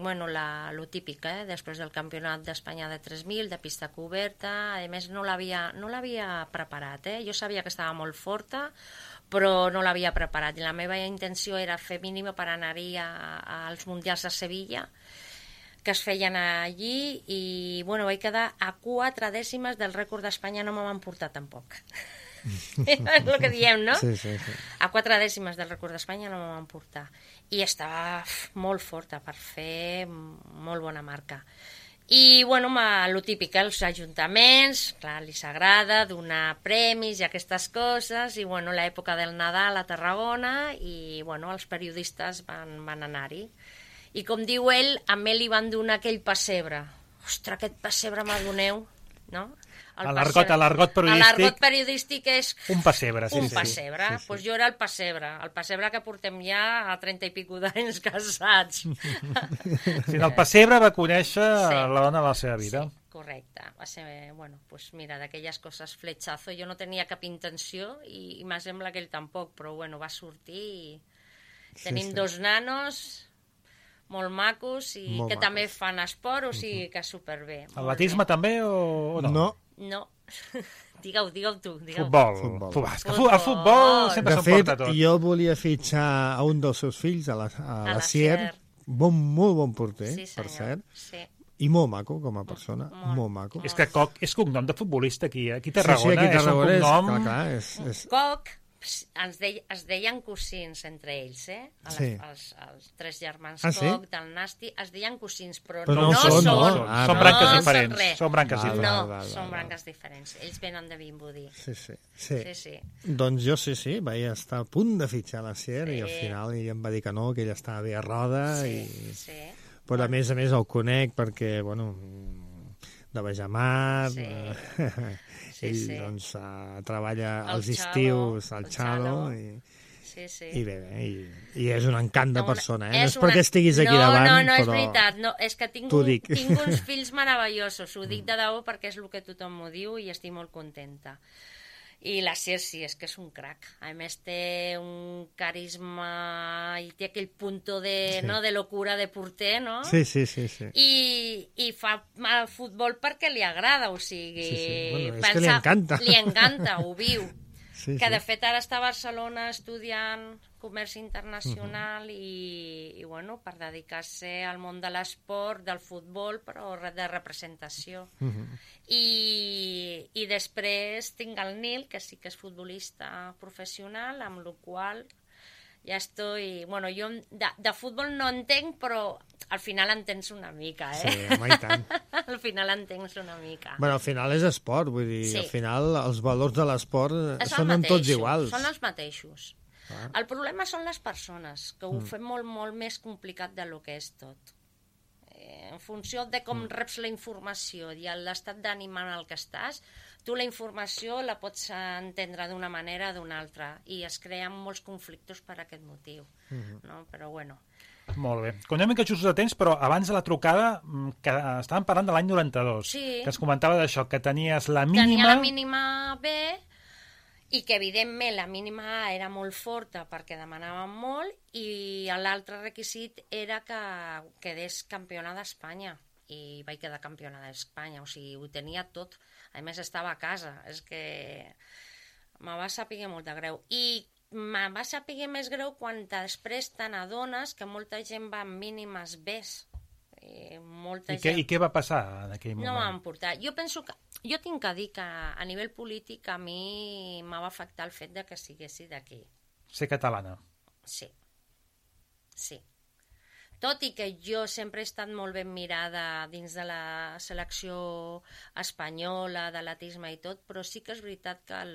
Bueno, la, lo típic, eh? Després del campionat d'Espanya de tres mil, de pista coberta. A més, no l'havia no l'havia preparat, eh? Jo sabia que estava molt forta, però no l'havia preparat. I la meva intenció era fer mínima per anar-hi a- als Mundials de Sevilla, que es feien allí, i bueno, vaig quedar a quatre dècimes del rècord d'Espanya, no me van portar tampoc. És el que diem, no? Sí, sí, sí. A quatre dècimes del rècord d'Espanya no me van portar. I estava uf, molt forta per fer molt bona marca. I, bueno, ma, lo típic, eh, els ajuntaments, clar, li s'agrada donar premis i aquestes coses, i, bueno, l'època del Nadal a Tarragona, i, bueno, els periodistes van, van anar-hi. I com diu ell, a mi li van donar aquell pessebre. Ostres, aquest pessebre m'adoneu, no? A l'argot, a l'argot periodístic... A l'argot periodístic és... Un pessebre, sí. Un sí, pessebre. Doncs sí, sí. pues jo era el pessebre. El pessebre que portem ja a trenta i pico d'anys casats. Sí, el pessebre va conèixer sí. la dona de la seva vida. Sí, correcte. Va ser, bueno, pues mira, d'aquelles coses fletxazo. Jo no tenia cap intenció i, i m'ha sembla que ell tampoc, però bueno, va sortir i tenim sí, sí. dos nanos... molt macos i molt que macos. També fan esport, o sigui que superbé. Atletisme també o, o no? No. No. Digueu, digueu tu. Digueu. Futbol. Futbol. futbol. futbol. El futbol sempre s'ho porta tot. De fet, jo volia fitxar a un dels seus fills, a la, a a la Sier, bon, molt bon porter, sí, per cert, sí. I molt maco com a persona, molt, molt maco. És que Coc és cognom de futbolista aquí, aquí a Tarragona. Sí, sí, aquí a Tarragona és un cognom... és, clar, clar, és, és... Coc, ens deia, es deien cosins entre ells, eh? Les, sí. els, els tres germans ah, Coc, sí? Del Nasti, es deien cosins, però, però no, no són. No, són, ah, són branques no diferents. Són, són branques val, diferents. No, val, val, són val. branques diferents. Ells venen de Vimbodí. Sí, sí. Sí. sí, sí. Doncs jo sí, sí, vaig estar a punt de fitxar la Sier sí. I al final ella em va dir que no, que ella estava bé a roda. Sí, i... sí. Però a més a més el conec perquè, bueno, de Bajamar... Sí. Sí, ell sí. doncs uh, treballa el als xalo, estius al Xalo i, sí, sí. I bé, bé i, i és un encant de persona, eh? No és, és perquè una... estiguis aquí no, davant, no, no, però... és veritat, no, és que tinc, un, tinc uns fills meravellosos, ho dic de debò perquè és el que tothom m'ho diu i estic molt contenta. I la Sier sí, és que és un crac. A més té un carisma i té aquell punto de, sí. no, de locura de porter, no? Sí, sí, sí. sí. I, i fa el futbol perquè li agrada, o sigui... Sí, sí. Bueno, és pensa, que li encanta. Li encanta, ho viu. Sí, que sí. de fet ara està a Barcelona estudiant comerç internacional uh -huh. i, i bueno, per dedicar-se al món de l'esport, del futbol, però de representació. Uh -huh. I, I després tinc el Nil, que sí que és futbolista professional, amb la qual ja estoy... Bueno, jo de, de futbol no entenc, però al final entens una mica, eh? Sí, home, i tant. Al final entens una mica. Bueno, al final és esport, vull dir, sí. Al final els valors de l'esport són mateixos, tots iguals. Són els mateixos. Ah. El problema són les persones, que ho mm. fem molt, molt més complicat del que és tot. Eh, en funció de com mm. reps la informació i l'estat d'ànim en el que estàs, tu la informació la pots entendre d'una manera o d'una altra i es creen molts conflictes per aquest motiu. Mm-hmm. No? Però bueno... Molt bé. Com anem que just de temps, però abans de la trucada, que estàvem parlant de l'any noranta-dos, sí. que es comentava d'això, que tenies la mínima... Tenia la mínima B i que, evidentment, la mínima A era molt forta perquè demanàvem molt i l'altre requisit era que quedés campiona d'Espanya. I vaig quedar campiona d'Espanya, o sigui, ho tenia tot. A més, estava a casa. És que me va saber molt de greu. I me va saber més greu quan després te n'adones que molta gent va amb mínimes Bs. I, molta I, què, gent... I què va passar en aquell moment? No m'han portat. Jo penso que... Jo tinc que dir que a nivell polític a mi m'ha afectat el fet de que siguessi d'aquí. Ser catalana. Sí. Sí. Tot i que jo sempre he estat molt ben mirada dins de la selecció espanyola, d'atletisme i tot, però sí que és veritat que el,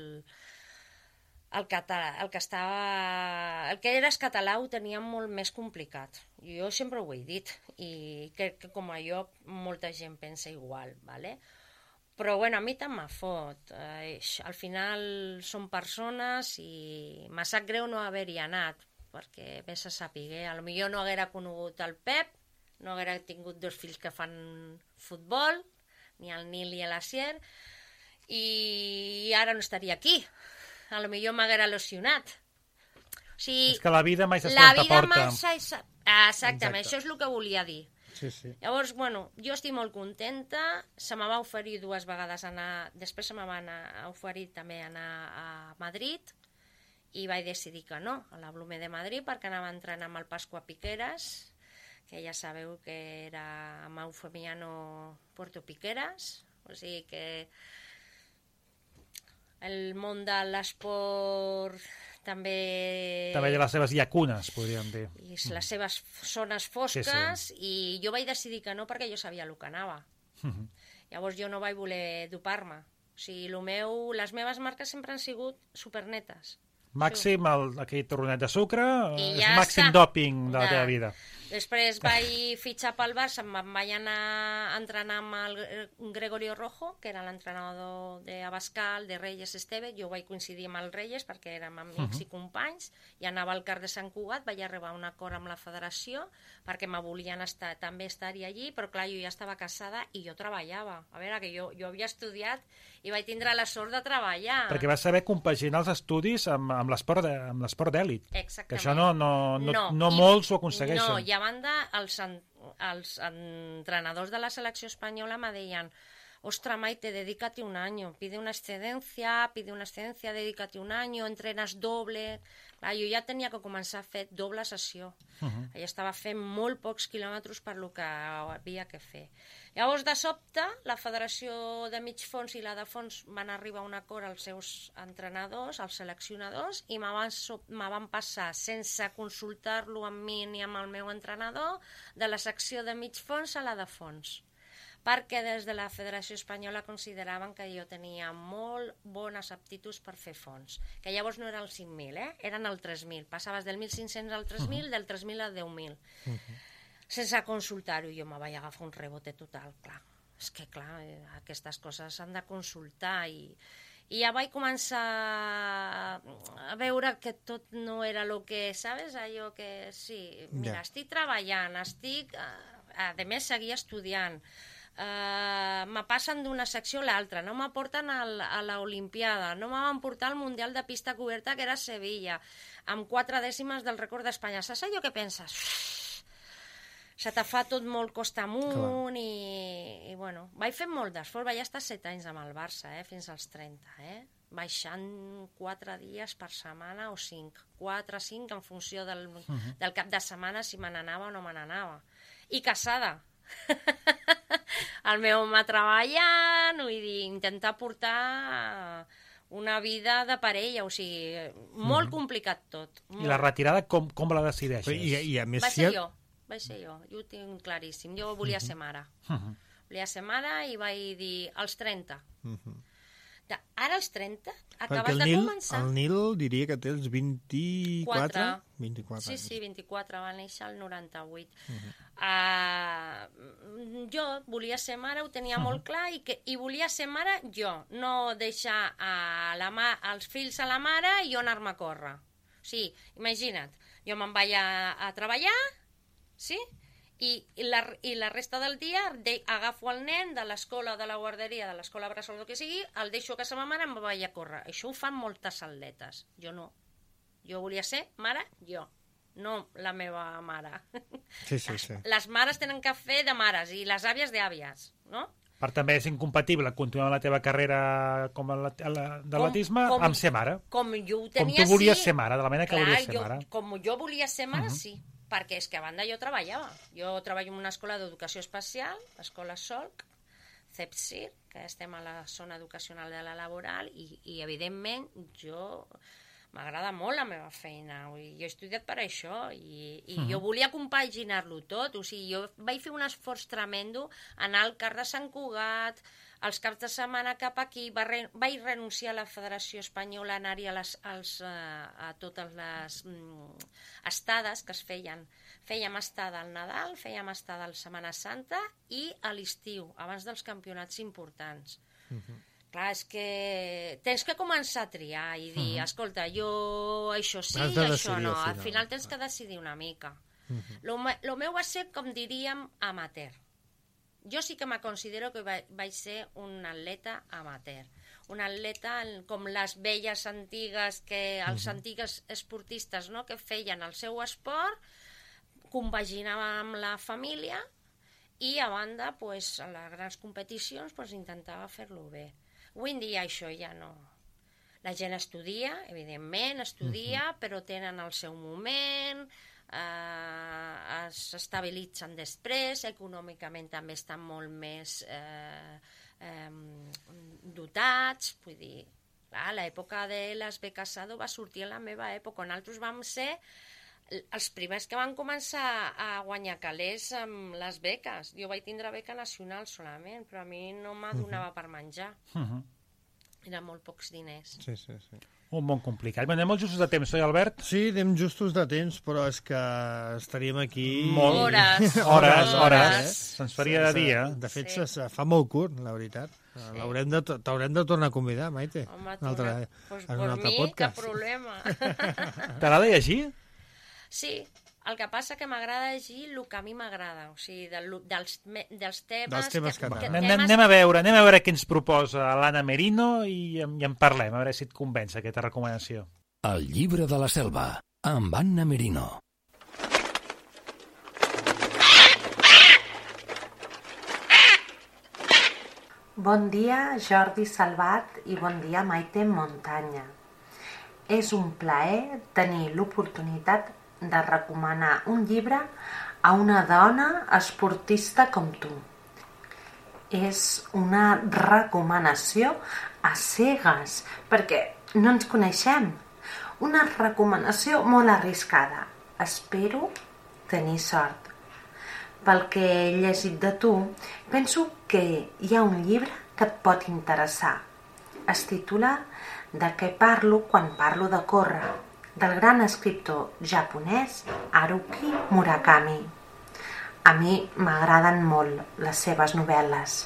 el, català, el que estava, el que eres català ho tenia molt més complicat. Jo sempre ho he dit i crec que com a jo molta gent pensa igual, ¿vale? Però bueno, a mi tant me fot. Eh, al final són persones i m'ha sap greu no haver-hi anat, perquè vés a saber, a lo millor no haguera conegut el Pep, no haguera tingut dos fills que fan futbol, ni el Nil ni la Sier, i ara no estaria aquí. A lo millor m'haguera lesionat. O sigui, és que la vida mai s'està la vida porta. mai s'ha... Exactament, Exacte. Això és el que volia dir. Sí, sí. Llavors, bueno, jo estic molt contenta, se me va oferir dues vegades anar, després se me va anar, oferir també anar a Madrid, i vaig decidir que no, a la Blume de Madrid, perquè anava entrant amb el Pasqua Piqueras, que ja sabeu que era amb Eufemiano Puerto Piqueras, o sigui que el món de l'esport també... També hi ha les seves llacunes, podríem dir. I les seves zones fosques, sí, sí. I jo vaig decidir que no perquè jo sabia el que anava. Uh-huh. Llavors jo no vaig voler dopar-me. O sigui, lo meu, les meves marques sempre han sigut supernetes. Màxim, el, aquell torronet de sucre, I és ja màxim està. dòping de la teva vida. Després vaig fitxar pel Barça, em vaig anar a entrenar amb el Gregorio Rojo, que era l'entrenador d'Abascal, de Reyes Esteve. Jo vaig coincidir amb el Reyes perquè érem amics uh -huh. i companys, i anava al Car de Sant Cugat, vaig arribar a un acord amb la federació perquè me volien estar, també estar-hi allí, però clar, jo ja estava casada i jo treballava. A veure, que jo, jo havia estudiat i vaig tindre la sort de treballar. Perquè vas saber compaginar els estudis amb, amb l'esport d'èlit. Exactament. Que això no, no, no, no, no I, molts ho aconsegueixen. No, i a banda, els, els entrenadors de la selecció espanyola me deien: ostra, Maite, dedícate un año, pide una excedencia, pide una excedencia, dedícate un año, entrenes doble... Clar, jo ja tenia que començar a fer doble sessió. Uh -huh. Ja estava fent molt pocs quilòmetres per lo que havia que fer. Llavors, de sobte, la Federació de Mig Fons i la de Fons van arribar a un acord als seus entrenadors, als seleccionadors, i me van, me van passar, sense consultar-lo amb mi ni amb el meu entrenador, de la secció de Mig Fons a la de Fons, perquè des de la Federació Espanyola consideraven que jo tenia molt bones aptituds per fer fons, que llavors no era el cinc mil, eh? Eren el tres mil, passaves del mil cinc-cents al tres mil, uh -huh. del tres mil al deu mil. Uh -huh. Sense consultar-ho, jo me vaig agafar un rebote total, clar. És que, clar, aquestes coses s'han de consultar i, i ja vaig començar a veure que tot no era el que, saps? Allò que, sí, mira, yeah. estic treballant, estic... A més, seguia estudiant. Uh, me passen d'una secció a l'altra, no m'aporten a l'Olimpiada, no me van portar al Mundial de Pista Coberta, que era a Sevilla, amb quatre dècimes del rècord d'Espanya. Saps allò que penses? Se te fa tot molt costa amunt i, i bueno, vaig fer molt d'esforç, vaig estar set anys amb el Barça, eh, fins als trenta, eh? Baixant quatre dies per setmana o cinc, quatre, cinc, en funció del, uh -huh. del cap de setmana, si me n'anava o no me n'anava. I casada. El meu home treballant, vull dir, intentar portar una vida de parella, o sigui, molt mm. complicat tot. Molt. I la retirada com, com la decideixes? I, i a més, va ser jo, va ser jo, jo ho tinc claríssim. Jo volia ser mare. Uh -huh. Volia ser mare i vaig dir als trenta. Uh -huh. Ara als trenta acabes de Nil, començar. El Nil diria que té els vint-i-quatre? vint-i-quatre. Sí, sí, vint-i-quatre, va néixer el noranta-vuit. Uh -huh. uh, jo volia ser mare, ho tenia uh -huh. molt clar, i, que, i volia ser mare jo, no deixar a la ma, els fills a la mare i jo anar-me a córrer. O sigui, imagina't, jo me'n vaig a, a treballar, sí?, I, i, la, i la resta del dia de, agafo el nen de l'escola, de la guarderia, de l'escola bressol, el que sigui, el deixo a casa ma mare i em vaig a córrer. Això ho fan moltes atletes. Jo no. Jo volia ser mare, jo. No la meva mare. Sí, sí, sí. Les mares tenen que fer de mares i les àvies d'àvies, no? Per també és incompatible continuar la teva carrera com a d'atletisme amb ser mare. Com jo ho tenia, com tu volies sí. ser mare, de la manera que Clar, volies ser jo, mare. Com jo volia ser mare, uh -huh. sí. Perquè és que a banda jo treballava. Jo treballo en una escola d'educació especial, l'escola Solc, CEPSIR, que estem a la zona educacional de la laboral, i, i evidentment jo m'agrada molt la meva feina. Jo he estudiat per això i, i uh -huh. jo volia compaginar-lo tot. O sigui, jo vaig fer un esforç tremendo, anar al Car de Sant Cugat, els caps de setmana cap aquí, va re, vaig renunciar a la Federació Espanyola, anar-hi a, les, als, a, a totes les mm, estades que es feien. Fèiem estada al Nadal, fèiem estada al Setmana Santa i a l'estiu, abans dels campionats importants. Uh -huh. Clar, és que tens que començar a triar i dir, uh -huh. escolta, jo això sí i això no. Al final. al final tens que decidir una mica. Uh -huh. Lo, lo meu va ser, com diríem, amateur. Jo sí que me considero que vaig ser un atleta amateur. Un atleta com les velles antigues, que els uh -huh. antigues esportistes, no?, que feien el seu esport, compaginava amb la família i, a banda, pues, a les grans competicions pues, intentava fer-lo bé. Avui en dia això ja no... La gent estudia, evidentment, estudia, uh -huh. però tenen el seu moment... Uh, s'estabilitzen després, econòmicament també estan molt més eh, eh, dotats, vull dir, clar, l'època de les beques Sado va sortir a la meva època. Nosaltres vam ser els primers que van començar a guanyar calés amb les beques. Jo vaig tindre beca nacional solament, però a mi no me donava uh -huh. per menjar. Uh -huh. Eren molt pocs diners. Sí, sí, sí. Un món complicat. Bé, anem molt justos de temps, oi, Albert? Sí, anem justos de temps, però és que estaríem aquí... Molt. Hores. Hores, hores. Hores. Se'ns faria de dia. De fet, Sí. se, se fa molt curt, la veritat. Sí. L'haurem de, t'haurem de tornar a convidar, Maite. Home, Un altre, pues en un per altre mi, podcast. cap problema. T'agrada llegir? Sí, el que passa que m'agrada llegir el que a mi m'agrada, o sigui, del, dels, me- dels temes... Dels temes que t'agraden. Anem, anem a veure, anem a veure què ens proposa l'Anna Merino i, en- i en parlem, a veure si et convenç aquesta recomanació. El llibre de la selva, amb Anna Merino. Bon dia, Jordi Salvat, i bon dia, Maite Montanya. És un plaer tenir l'oportunitat de recomanar un llibre a una dona esportista com tu. És una recomanació a cegues, perquè no ens coneixem. Una recomanació molt arriscada. Espero tenir sort. Pel que he llegit de tu, penso que hi ha un llibre que et pot interessar. Es titula De què parlo quan parlo de córrer, del gran escriptor japonès Haruki Murakami. A mi m'agraden molt les seves novel·les.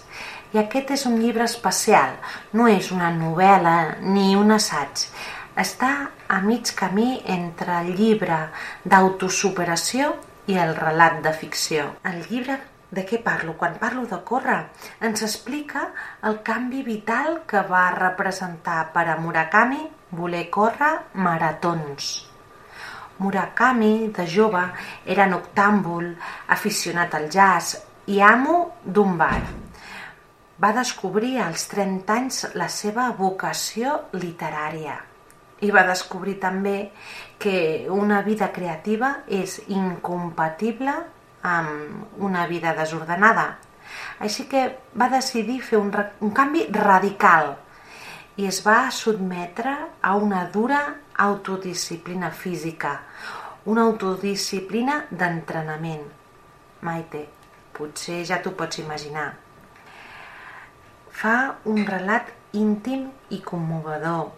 I aquest és un llibre especial. No és una novel·la ni un assaig. Està a mig camí entre el llibre d'autosuperació i el relat de ficció. El llibre De què parlo quan parlo de córrer ens explica el canvi vital que va representar per a Murakami voler córrer maratons. Murakami, de jove, era noctàmbul, aficionat al jazz i amo d'un bar. Va descobrir als trenta anys la seva vocació literària i va descobrir també que una vida creativa és incompatible amb una vida desordenada. Així que va decidir fer un, un canvi radical i es va sotmetre a una dura autodisciplina física, una autodisciplina d'entrenament. Maite, potser ja t'ho pots imaginar. Fa un relat íntim i commovedor.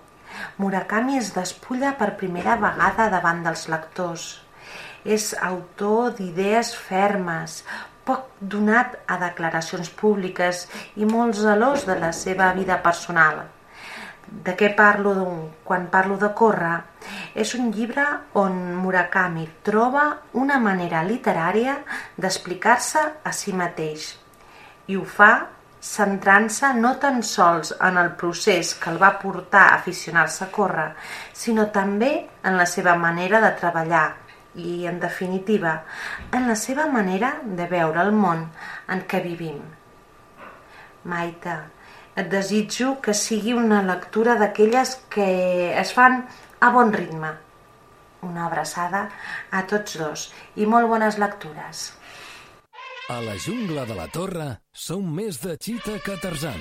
Murakami es despulla per primera vegada davant dels lectors. És autor d'idees fermes, poc donat a declaracions públiques i molt zelós de la seva vida personal. De què parlo quan parlo de córrer? És un llibre on Murakami troba una manera literària d'explicar-se a si mateix. I ho fa centrant-se no tan sols en el procés que el va portar a aficionar-se a córrer, sinó també en la seva manera de treballar i, en definitiva, en la seva manera de veure el món en què vivim. Maite, et desitjo que sigui una lectura d'aquelles que es fan a bon ritme. Una abraçada a tots dos i molt bones lectures. A la jungla de la Torre som més de Chita que Tarzan.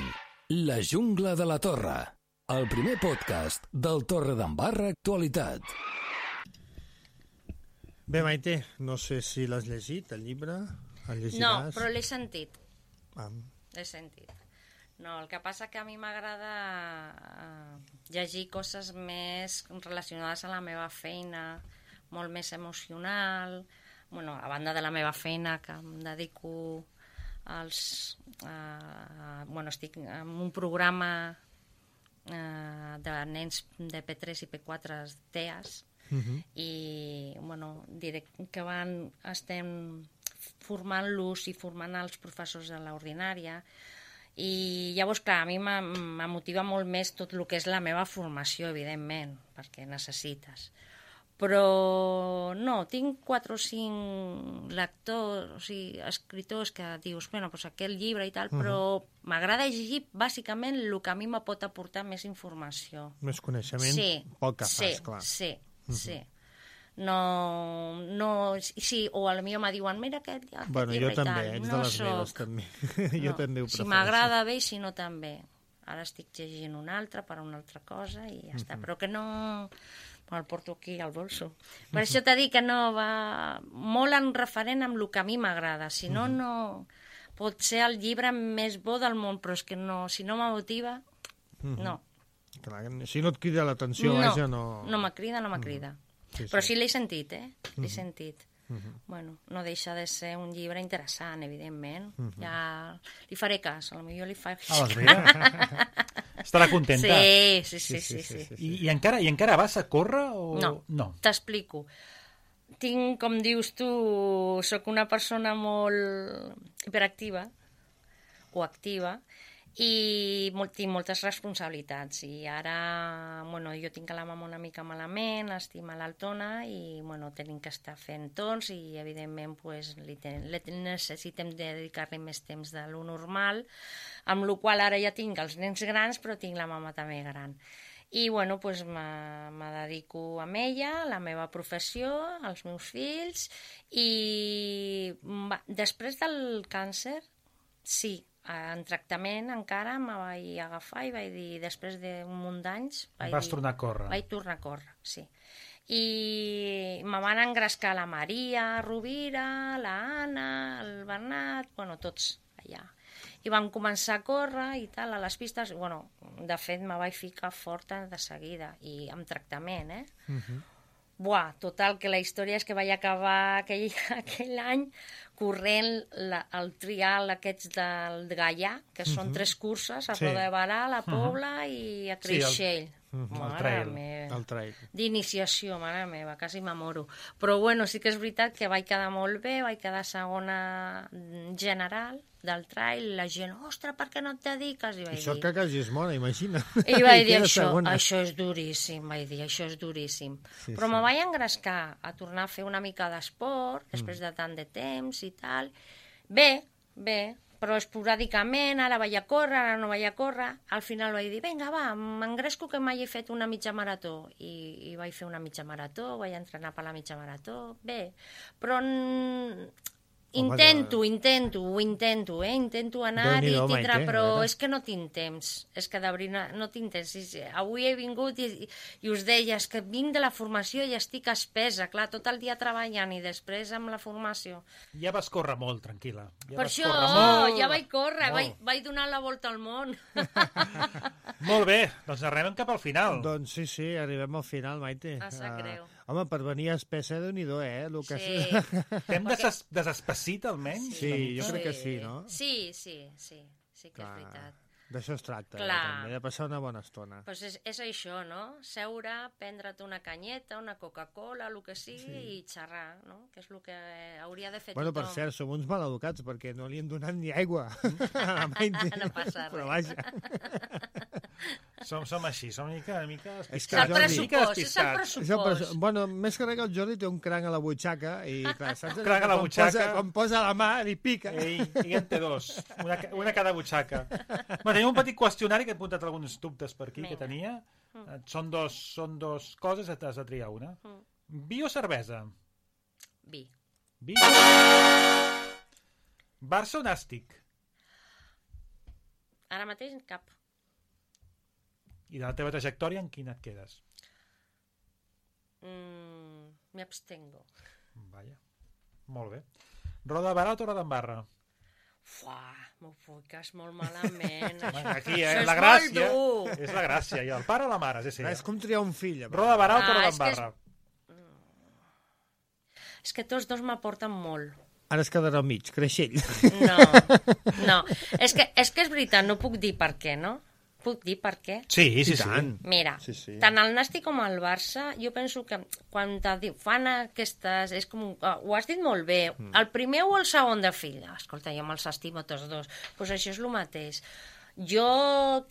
La jungla de la Torre, el primer podcast del Torredembarra Actualitat. Bé, Maite, no sé si l'has llegit, el llibre. El llegiràs? No, però l'he sentit. Ah. L'he sentit. No, el que passa que a mi m'agrada eh, llegir coses més relacionades a la meva feina, molt més emocional. Bueno, a banda de la meva feina, que em dedico als... Eh, bueno, estic en un programa eh, de nens de P tres i P quatre T E A S, Uh-huh. i bueno, direct, que van, estem formant-los i formant els professors de l'ordinària i llavors, clar, a mi me motiva molt més tot el que és la meva formació, evidentment, perquè necessites. Però no, tinc quatre o cinc lectors, o sigui, escriptors que dius, bueno, doncs aquest llibre i tal, uh-huh. però m'agrada llegir bàsicament el que a mi me pot aportar més informació. Més coneixement, sí, poc que sí, fas, clar. Sí, sí. No, no, sí, o a la millor me diuen, mira aquest, aquest bueno, llibre jo també, i tal. ets No de les soc... meves, també. No. Jo també ho prefereixo. Si m'agrada bé i si no també. Ara estic llegint un altre per una altra cosa i ja uh-huh. està. Però que no... el porto aquí al bolso. Per això t'he dit que no va... Molt en referent amb el que a mi m'agrada. Si no, uh-huh. no... Pot ser el llibre més bo del món, però és que no, si no me motiva, uh-huh. no. Clar, si no et crida l'atenció, no, vaja, no... No me crida, no me crida. Mm. Sí, Però sí. sí l'he sentit, eh? L'he Mhm. sentit. Mhm. Bueno, no deixa de ser un llibre interessant, evidentment. Mhm. Ja li faré cas, potser li faré Ah, doncs mira. Estarà contenta. Sí, sí, sí, sí, sí, sí. I, i, encara, I encara vas a córrer o...? No, no. t'explico. Tinc, com dius tu, sóc una persona molt hiperactiva o activa i molt, tinc moltes responsabilitats i ara, bueno, jo tinc la mama una mica malament, estic malaltona i, bueno, tenim que estar fent torns i, evidentment, pues, li ten, li necessitem dedicar-li més temps de lo normal, amb la qual ara ja tinc els nens grans, però tinc la mama també gran. I, bueno, pues, me, me dedico a ella, a la meva professió, als meus fills, i va, després del càncer, sí, en tractament encara me vaig agafar i vaig dir, després d'un munt d'anys... Vas dir, tornar a córrer. Vaig tornar a córrer, sí. I me van engrescar la Maria Rovira, la Anna, el Bernat, bueno, tots allà. I vam començar a córrer i tal, a les pistes. Bueno, de fet, me vaig ficar forta de seguida, i amb tractament, eh? Uh-huh. Buah, total, que la història és que vaig acabar aquell, aquell any corrent la, el trial aquests del Gaià, que són uh-huh. tres curses, a sí. Roda de Barà, a la Pobla uh-huh. i a Creixell. Sí, el, uh-huh. el trail. El trail. D'iniciació, mare meva, quasi m'amoro. Però bueno, sí que és veritat que vaig quedar molt bé, vaig quedar segona general del trail, la gent, ostres, per què no et dediques? I vaig això dir... que quasi es mona, imagina. I vaig dir, això, això és duríssim, vaig dir, això és duríssim. Sí, però sí. Me vaig engrescar a tornar a fer una mica d'esport, després mm. de tant de temps i tal. Bé, bé, però esporàdicament, ara vaig a córrer, ara no vaig a córrer. Al final vaig dir, vinga, va, m'engresco que mai he fet una mitja marató. I, i vaig fer una mitja marató, vaig entrenar per la mitja marató, bé. Però... Intento, intento, ho intento, eh? Intento anar i tindrà, però és que no tinc temps, és que de veritat no tinc temps. Avui he vingut i, i us deia, és que vinc de la formació i estic espesa, clar, tot el dia treballant i després amb la formació. Ja vas córrer molt, tranquil·la. Ja per això, molt, ja vaig córrer, vaig, vaig donar la volta al món. Molt bé, doncs arribem cap al final. Doncs sí, sí, arribem al final, Maite. Ah, sap greu. Uh, home, per venir espessa, Déu-n'hi-do, eh? Lo que sí. T'hem des desespecit, almenys? Sí, jo sí. crec que sí, no? Sí, sí, sí, sí que clar, és veritat. D'això es tracta, clar. Eh, també, de passar una bona estona. Pues és, és això, no? Seure, prendre't una canyeta, una Coca-Cola, el que sigui, sí. i xerrar, no? Que és el que hauria de fer bueno, tothom. Per cert, som uns maleducats, perquè no li hem donat ni aigua a la Maite. No passa res. Però vaja. Som, som així, som una mica, una mica despistats. És el pressupost, és el pressupost. Bueno, més que res que el Jordi té un cranc a la butxaca i, clar, saps? Cranc a la butxaca. Posa, quan posa la mà, li pica. Ei, i en té dos, una, una cada butxaca. Bueno, tenim un petit qüestionari que he apuntat alguns dubtes per aquí, Venga. Que tenia. Mm. Són, dos, són dos coses, has de triar una. Mm. Vi o cervesa? Vi. Vi. Barça o Nàstic? Ara mateix cap. I de la teva trajectòria, en quina et quedes? Mm, me abstengo. Vaja, molt bé. Roda de Barà o Torredembarra? Fuà, m'ho fiques molt malament. Aquí, eh? La gràcia. És la gràcia. I el pare o la mare? Sí, sí. És com triar un fill. Roda de Barà o Torredembarra? Ah, és, que és... és que tots dos m'aporten molt. Ara es quedarà al mig, Creixell. No, no. És que, és que és veritat, no puc dir per què, no? Puc dir per què? Sí, sí, sí. Mira, sí, sí. Tant el Nàstic com el Barça, jo penso que quan te fan aquestes... És com, ho has dit molt bé, mm. el primer o el segon de fill. Escolta, jo me'ls estimo tots dos. Doncs pues això és el mateix. Jo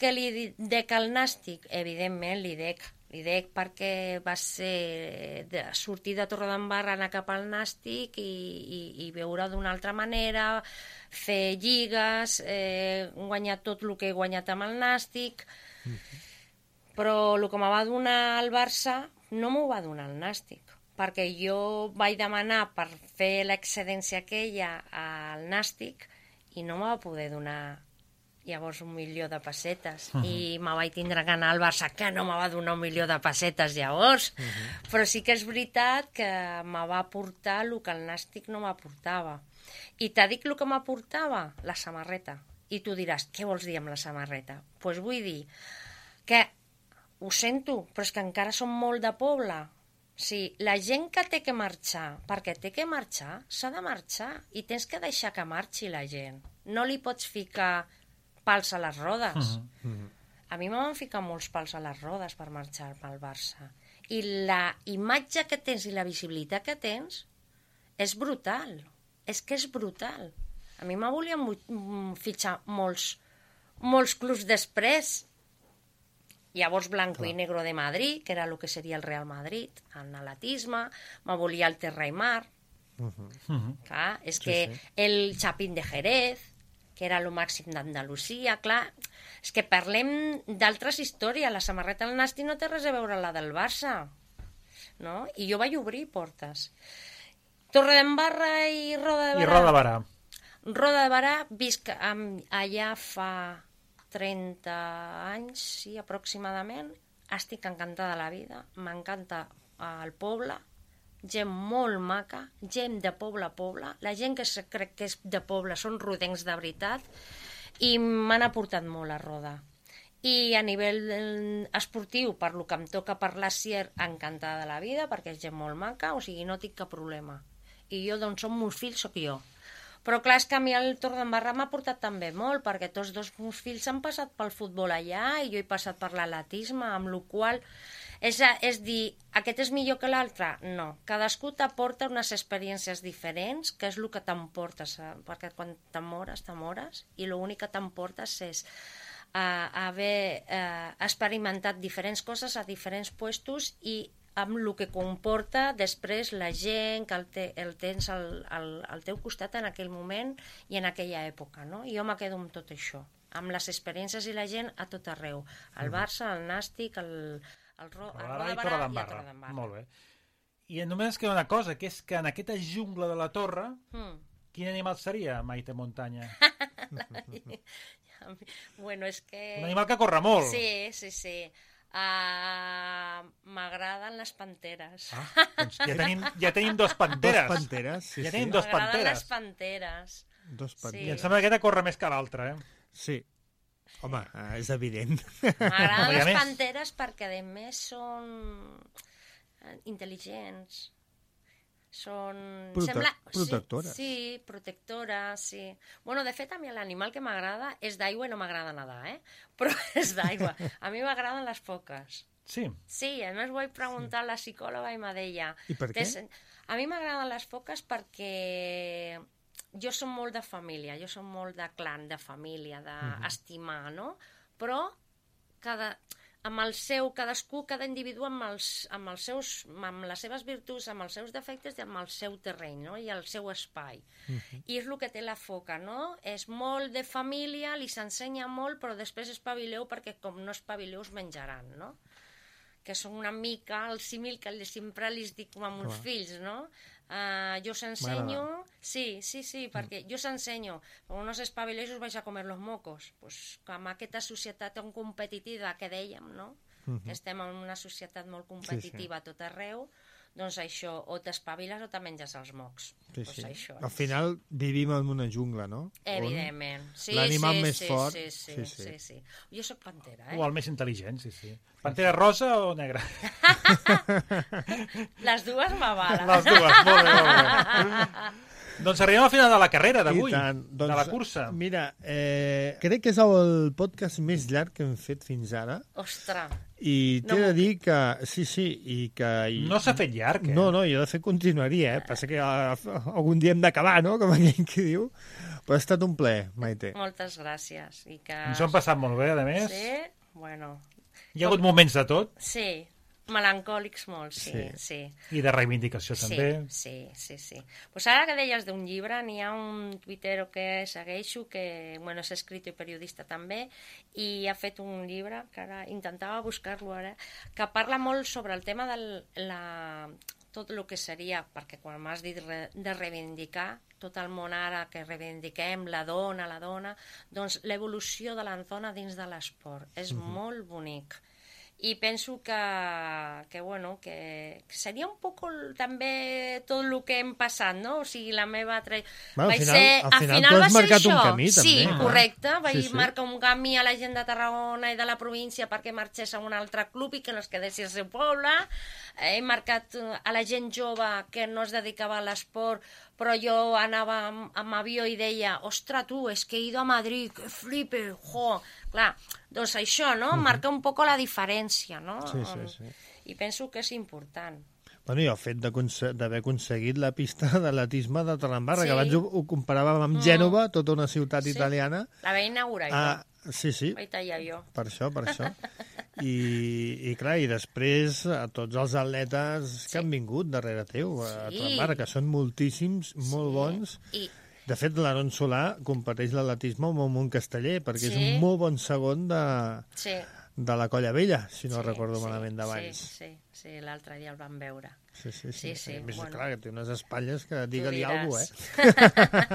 que li dec al Nàstic, evidentment li dec, li dec perquè va ser de sortir de Torredembarra, anar cap al Nàstic i, i, i veure d'una altra manera, fer lligues, eh, guanyar tot el que he guanyat amb el Nàstic, mm-hmm. però el que me va donar el Barça no m'ho va donar el Nàstic, perquè jo vaig demanar per fer l'excedència aquella al Nàstic i no me va poder donar llavors un milió de pessetes, uh-huh. i me vaig tindre que anar al Barça, que no me va donar un milió de pessetes llavors, uh-huh. però sí que és veritat que me va aportar el que el Nàstic no m'aportava. I t'ha dit el que m'aportava? La samarreta. I tu diràs, què vols dir amb la samarreta? Doncs pues vull dir que ho sento, però és que encara som molt de poble. Sí, la gent que té que marxar, perquè té que marxar, s'ha de marxar i tens que deixar que marxi la gent. No li pots ficar pals a les rodes. Mhm. A mi me van ficar molts pals a les rodes per marxar pel Barça. I la imatge que tens i la visibilitat que tens és brutal. És que és brutal. A mi me volien fitxar molts, molts clubs després. Llavors Blanco Clar. i Negro de Madrid, que era el que seria el Real Madrid, el atletisme, me volia el Terra i Mar. Uh -huh. Clar, és Sí, que sí. el Chapín de Jerez, que era el màxim d'Andalusia, clar, és que parlem d'altres històries. La samarreta del Nasti no té res a veure amb la del Barça, no? I jo vaig obrir portes. Torredembarra i Roda de Barà. I Roda de Barà. Roda de Barà, visc amb, allà fa trenta anys, sí, aproximadament. Estic encantada de la vida, m'encanta el poble, gent molt maca, gent de poble a poble, la gent que se crec que és de poble són rodencs de veritat, i m'han aportat molt a Roda. I a nivell esportiu, per lo que em toca parlar, Sier, encantada de la vida, perquè és gent molt maca, o sigui, no tinc cap problema. I jo, d'on són meus fills, sóc jo. Però clar, és que a mi el Torredembarra m'ha portat també molt, perquè tots dos meus fills han passat pel futbol allà i jo he passat per l'atletisme, amb la qual és, és dir, aquest és millor que l'altre? No. Cadascú t'aporta unes experiències diferents, que és el que t'emportes, perquè quan t'amores, t'amores, i l'únic que t'emportes és uh, haver uh, experimentat diferents coses a diferents puestos i amb el que comporta després la gent que el, te, el tens al, al, al teu costat en aquell moment i en aquella època, no? I jo me quedo amb tot això, amb les experiències i la gent a tot arreu. El Barça, el Nàstic, el, el, Ro, el Roda de Barà i el Torredembarra. Molt bé. I només queda una cosa, que és que en aquesta jungla de la Torre, mm. quin animal seria Maite Montaña? Bueno, és que... Un animal que corre molt. Sí, sí, sí. Uh, m'agraden les panteres. Ah, doncs ja tenim, ja tenim dos panteres. Dos panteres, sí, ja sí. tenim dos M'agraden panteres. les panteres. Dos panteres. Sí. I em sembla que aquesta corre més que l'altra, eh? Sí. Home, és evident. M'agraden les panteres perquè, a més, són intel·ligents. Són... Prote Sembla... protectores. Sí, sí, protectores, sí. Bueno, de fet, a mi l'animal que m'agrada és d'aigua i no m'agrada nedar, eh? Però és d'aigua. A mi m'agraden les foques. Sí? Sí, a més vaig preguntar a la psicòloga i m'ha deia... I per què? És... A mi m'agraden les foques perquè jo som molt de família, jo som molt de clan, de família, d'estimar, no? Però cada... amb el seu, cadascú, cada individu amb, els, amb, els seus, amb les seves virtuts, amb els seus defectes i amb el seu terreny, no? I el seu espai. Uh-huh. I és el que té la foca, no? És molt de família, li s'ensenya molt, però després espavileu perquè com no espavileu us menjaran, no? Que són una mica el símil que sempre li dic a meus Clar. fills, no? Uh, jo s'ensenyo... Sí, sí, sí, perquè jo s'ensenyo. Quan no s'espavileix us vais a comer los mocos. Pues, amb aquesta societat tan competitiva que dèiem, no? Uh-huh. Que estem en una societat molt competitiva sí, sí. a tot arreu, doncs això, o t'espaviles o te menges els mocs. Sí, pues sí. Això Al és. final vivim en una jungla, no? Evidentment. Sí, l'animal sí, més sí, fort... Sí sí sí, sí, sí, sí. Jo sóc pantera, eh? O el més intel·ligent, sí, sí. Pantera rosa o negra? Les dues m'avalen. Les dues, molt bé, molt bé. Doncs arribem al final de la carrera d'avui, doncs, de la cursa. Mira, eh, crec que és el podcast més llarg que hem fet fins ara. Ostres. I t'he No de dir que... Sí, sí, i que... I, No s'ha fet llarg, eh? No, no, jo de fet continuaria, eh? Passa que uh, algun dia hem d'acabar, no?, com aquell que diu. Però ha estat un plaer, Maite. Moltes gràcies. I que... Ens ho hem passat molt bé, a més. Sí? Bueno. Hi ha hagut moments de tot. Sí. Melancòlics molt, sí, sí. sí. I de reivindicació sí, també. Sí, sí, sí. Pues ara que deies d'un llibre, n'hi ha un tuitero que segueixo, que bueno, és escritor i periodista també, i ha fet un llibre, que ara intentava buscar-lo ara, que parla molt sobre el tema de la... tot el que seria, perquè quan m'has dit re, de reivindicar, tot el món ara que reivindiquem, la dona, la dona, doncs l'evolució de la dona dins de l'esport. És uh-huh. molt bonic. i penso que, que, bueno, que seria un poc també tot el que hem passat, no? O sigui, la meva... Tra... Bueno, vaig al final, ser, al final, final tu va has ser marcat això. un camí, també. Sí, correcte. Ah. Vaig Sí, sí. marcar un camí a la gent de Tarragona i de la província perquè marxés a un altre club i que no es quedés al seu poble. He marcat a la gent jove que no es dedicava a l'esport, però jo anava amb, amb avió i deia, ostres, tu, és que he ido a Madrid, que flipe, jo. Clar, doncs això, no? Mhm. Marca un poc la diferència, no? Sí, sí, sí. I penso que és important. Bueno, i el fet d'haver aconseguit la pista d'atletisme de Torredembarra, Sí. que abans ho, ho comparàvem amb Mm. Gènova, tota una ciutat Sí. italiana. La vaig inaugurar Ah, jo. sí, sí. Vaig tallar jo. Per això, per això. I, i clar, i després a tots els atletes que han vingut darrere teu a Sí. Torredembarra, que són moltíssims, molt bons. I... De fet, l'Aaron Solà competeix l'atletisme amb el Mont Casteller, perquè Sí. és un molt bon segon de, Sí. de la Colla Vella, si no Sí, recordo sí, malament d'abans. Sí, sí, sí, l'altre dia el vam veure. Sí, sí, sí. Sí, sí, A més, bueno. clar, que té unes espatlles que digue-li diràs. alguna cosa,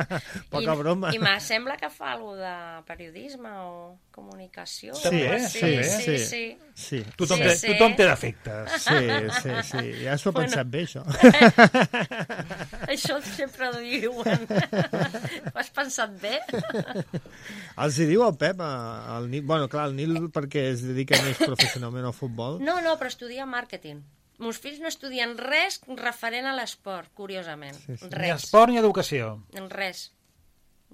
eh? Poca I, broma. I me sembla que fa alguna de periodisme o comunicació. Sí, o eh? algo sí, així. sí, sí, sí. sí. Tothom, Sí, té, sí. tothom té defectes. Sí, sí, sí. Ja s'ho ha Bueno. pensat bé, això. Això sempre ho diuen. Ho has pensat bé? Els hi diu el Pep, a- al Nil... Bueno, clar, el Nil perquè es dedica més professionalment al futbol. No, no, però estudia màrqueting. Meus fills no estudien res referent a l'esport, curiosament. Sí, sí. Ni Res. esport ni educació. Res.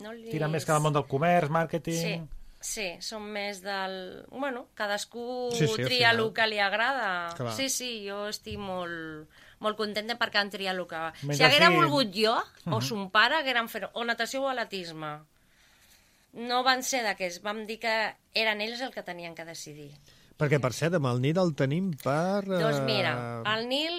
No li... Tira més que al món del comerç, Sí, màrqueting... sí, són més del... Bueno, cadascú Sí, sí, al tria final. el que li agrada. Clar. Sí, sí, jo estic molt, molt contenta perquè han triat el que va. Mentre Si haguera sigui- volgut jo, o Mhm. son pare, hagueren fet o natació o atletisme. No van ser d'aquests, vam dir que eren ells el que tenien que decidir. Perquè, per cert, amb el Nil el tenim per... eh, Doncs mira, el Nil,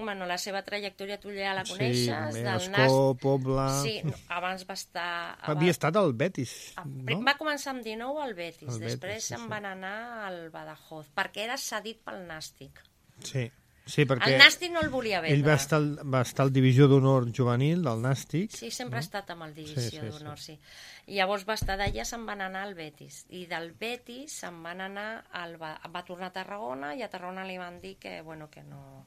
bueno, la seva trajectòria tu ja la Sí, coneixes, del Escó, Pobla... Sí, no, abans va estar... Havia estat al Betis, No? no? Va començar amb dinou al Betis, Al Betis, després sí, se'n sí. van anar al Badajoz, perquè era cedit pel Nàstic. Sí, sí, perquè... El Nàstic no el volia vendre. Ell va estar, al- va estar al Divisió d'Honor Juvenil del Nàstic. Sí, sempre no? ha estat amb el Divisió Sí, sí, sí. d'Honor, sí. I llavors va estar d'allà, se'n van anar al Betis. I del Betis se'n van anar al... Va, va tornar a Tarragona i a Tarragona li van dir que, bueno, que no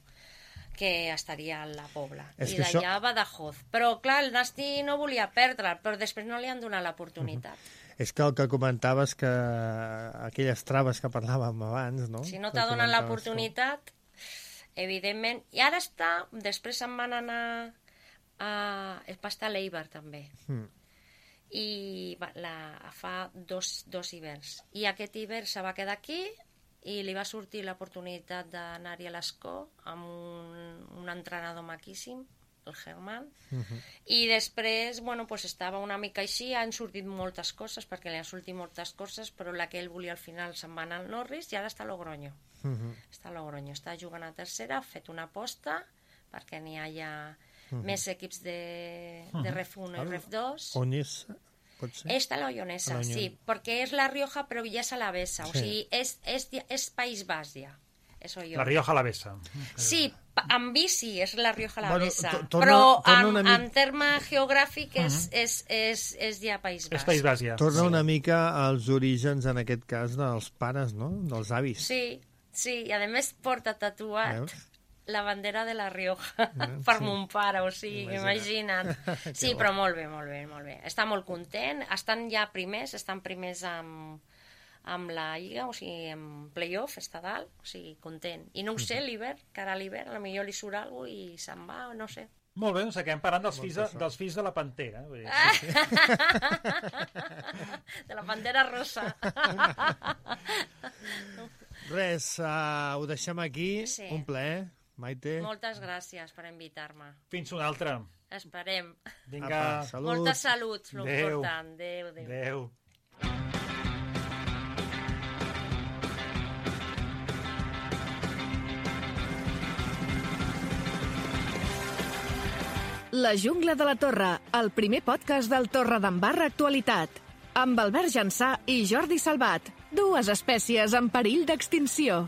que estaria a la Pobla. És I que d'allà això- a Badajoz. Però, clar, el Nàstic no volia perdre, però després no li han donat l'oportunitat. És que el que comentaves que aquelles traves que parlàvem abans, no? Si no Que t'ha donat comentaves l'oportunitat, evidentment... I ara està, després se'n van anar a... Va estar a l'Eibar, també. tu. Mm. I va, la, fa dos, dos hiverns. I aquest hivern se va quedar aquí i li va sortir l'oportunitat d'anar-hi a l'Escó amb un, un entrenador maquíssim, el Germán, Mhm. i després, bueno, pues estava una mica així, han sortit moltes coses, perquè li han sortit moltes coses, però la que ell volia al final se'n va anar al Norris i ara està a Logroño. Mhm. Està a Logroño, està jugant a tercera, ha fet una aposta perquè n'hi hagi Mhm. més equips de, de Ref uno i Ah, Ref dos. Oñez, pot ser? Esta la Ollonesa, A la Ollon- sí, perquè és la Rioja però ja és a la Bessa, o Sí. sigui, és, és, és País Bas ja. És Ollón. La Rioja a la Bessa. Sí, pa- en bici és la Rioja a la Bueno, Bessa, to- torna- però torna en, una mica- en terme geogràfic és, és, és, és ja País Bas. És País Bas, ja. Torna una mica als orígens, en aquest cas, dels pares, no? Dels avis. Sí, sí, i a més porta tatuat Veus? la bandera de la Rioja per sí. mon pare, o sigui, Imagina't. imagina't. Que Sí, bo. però molt bé, molt bé, molt bé. Està molt content, estan ja primers, estan primers amb, amb la Lliga, o sigui, en play-off, està dalt, o sigui, content. I no ho sé, l'hivern, que ara a l'hivern, potser li surt alguna cosa i se'n va, no sé. Molt bé, doncs acabem parlant dels fills de, dels fills de la Pantera. Vull dir, Ah! sí, sí. De la bandera rosa. Res, uh, ho deixem aquí. Sí. Un plaer, Maite. Moltes gràcies per invitar-me. Fins una altra. Esperem. Vinga. Apa, salut. Molta salut, lo Adéu. important. Adéu, adéu. Adéu. La jungla de la Torre, el primer podcast del Torredembarra Actualitat. Amb Albert Jansà i Jordi Salvat, dues espècies en perill d'extinció.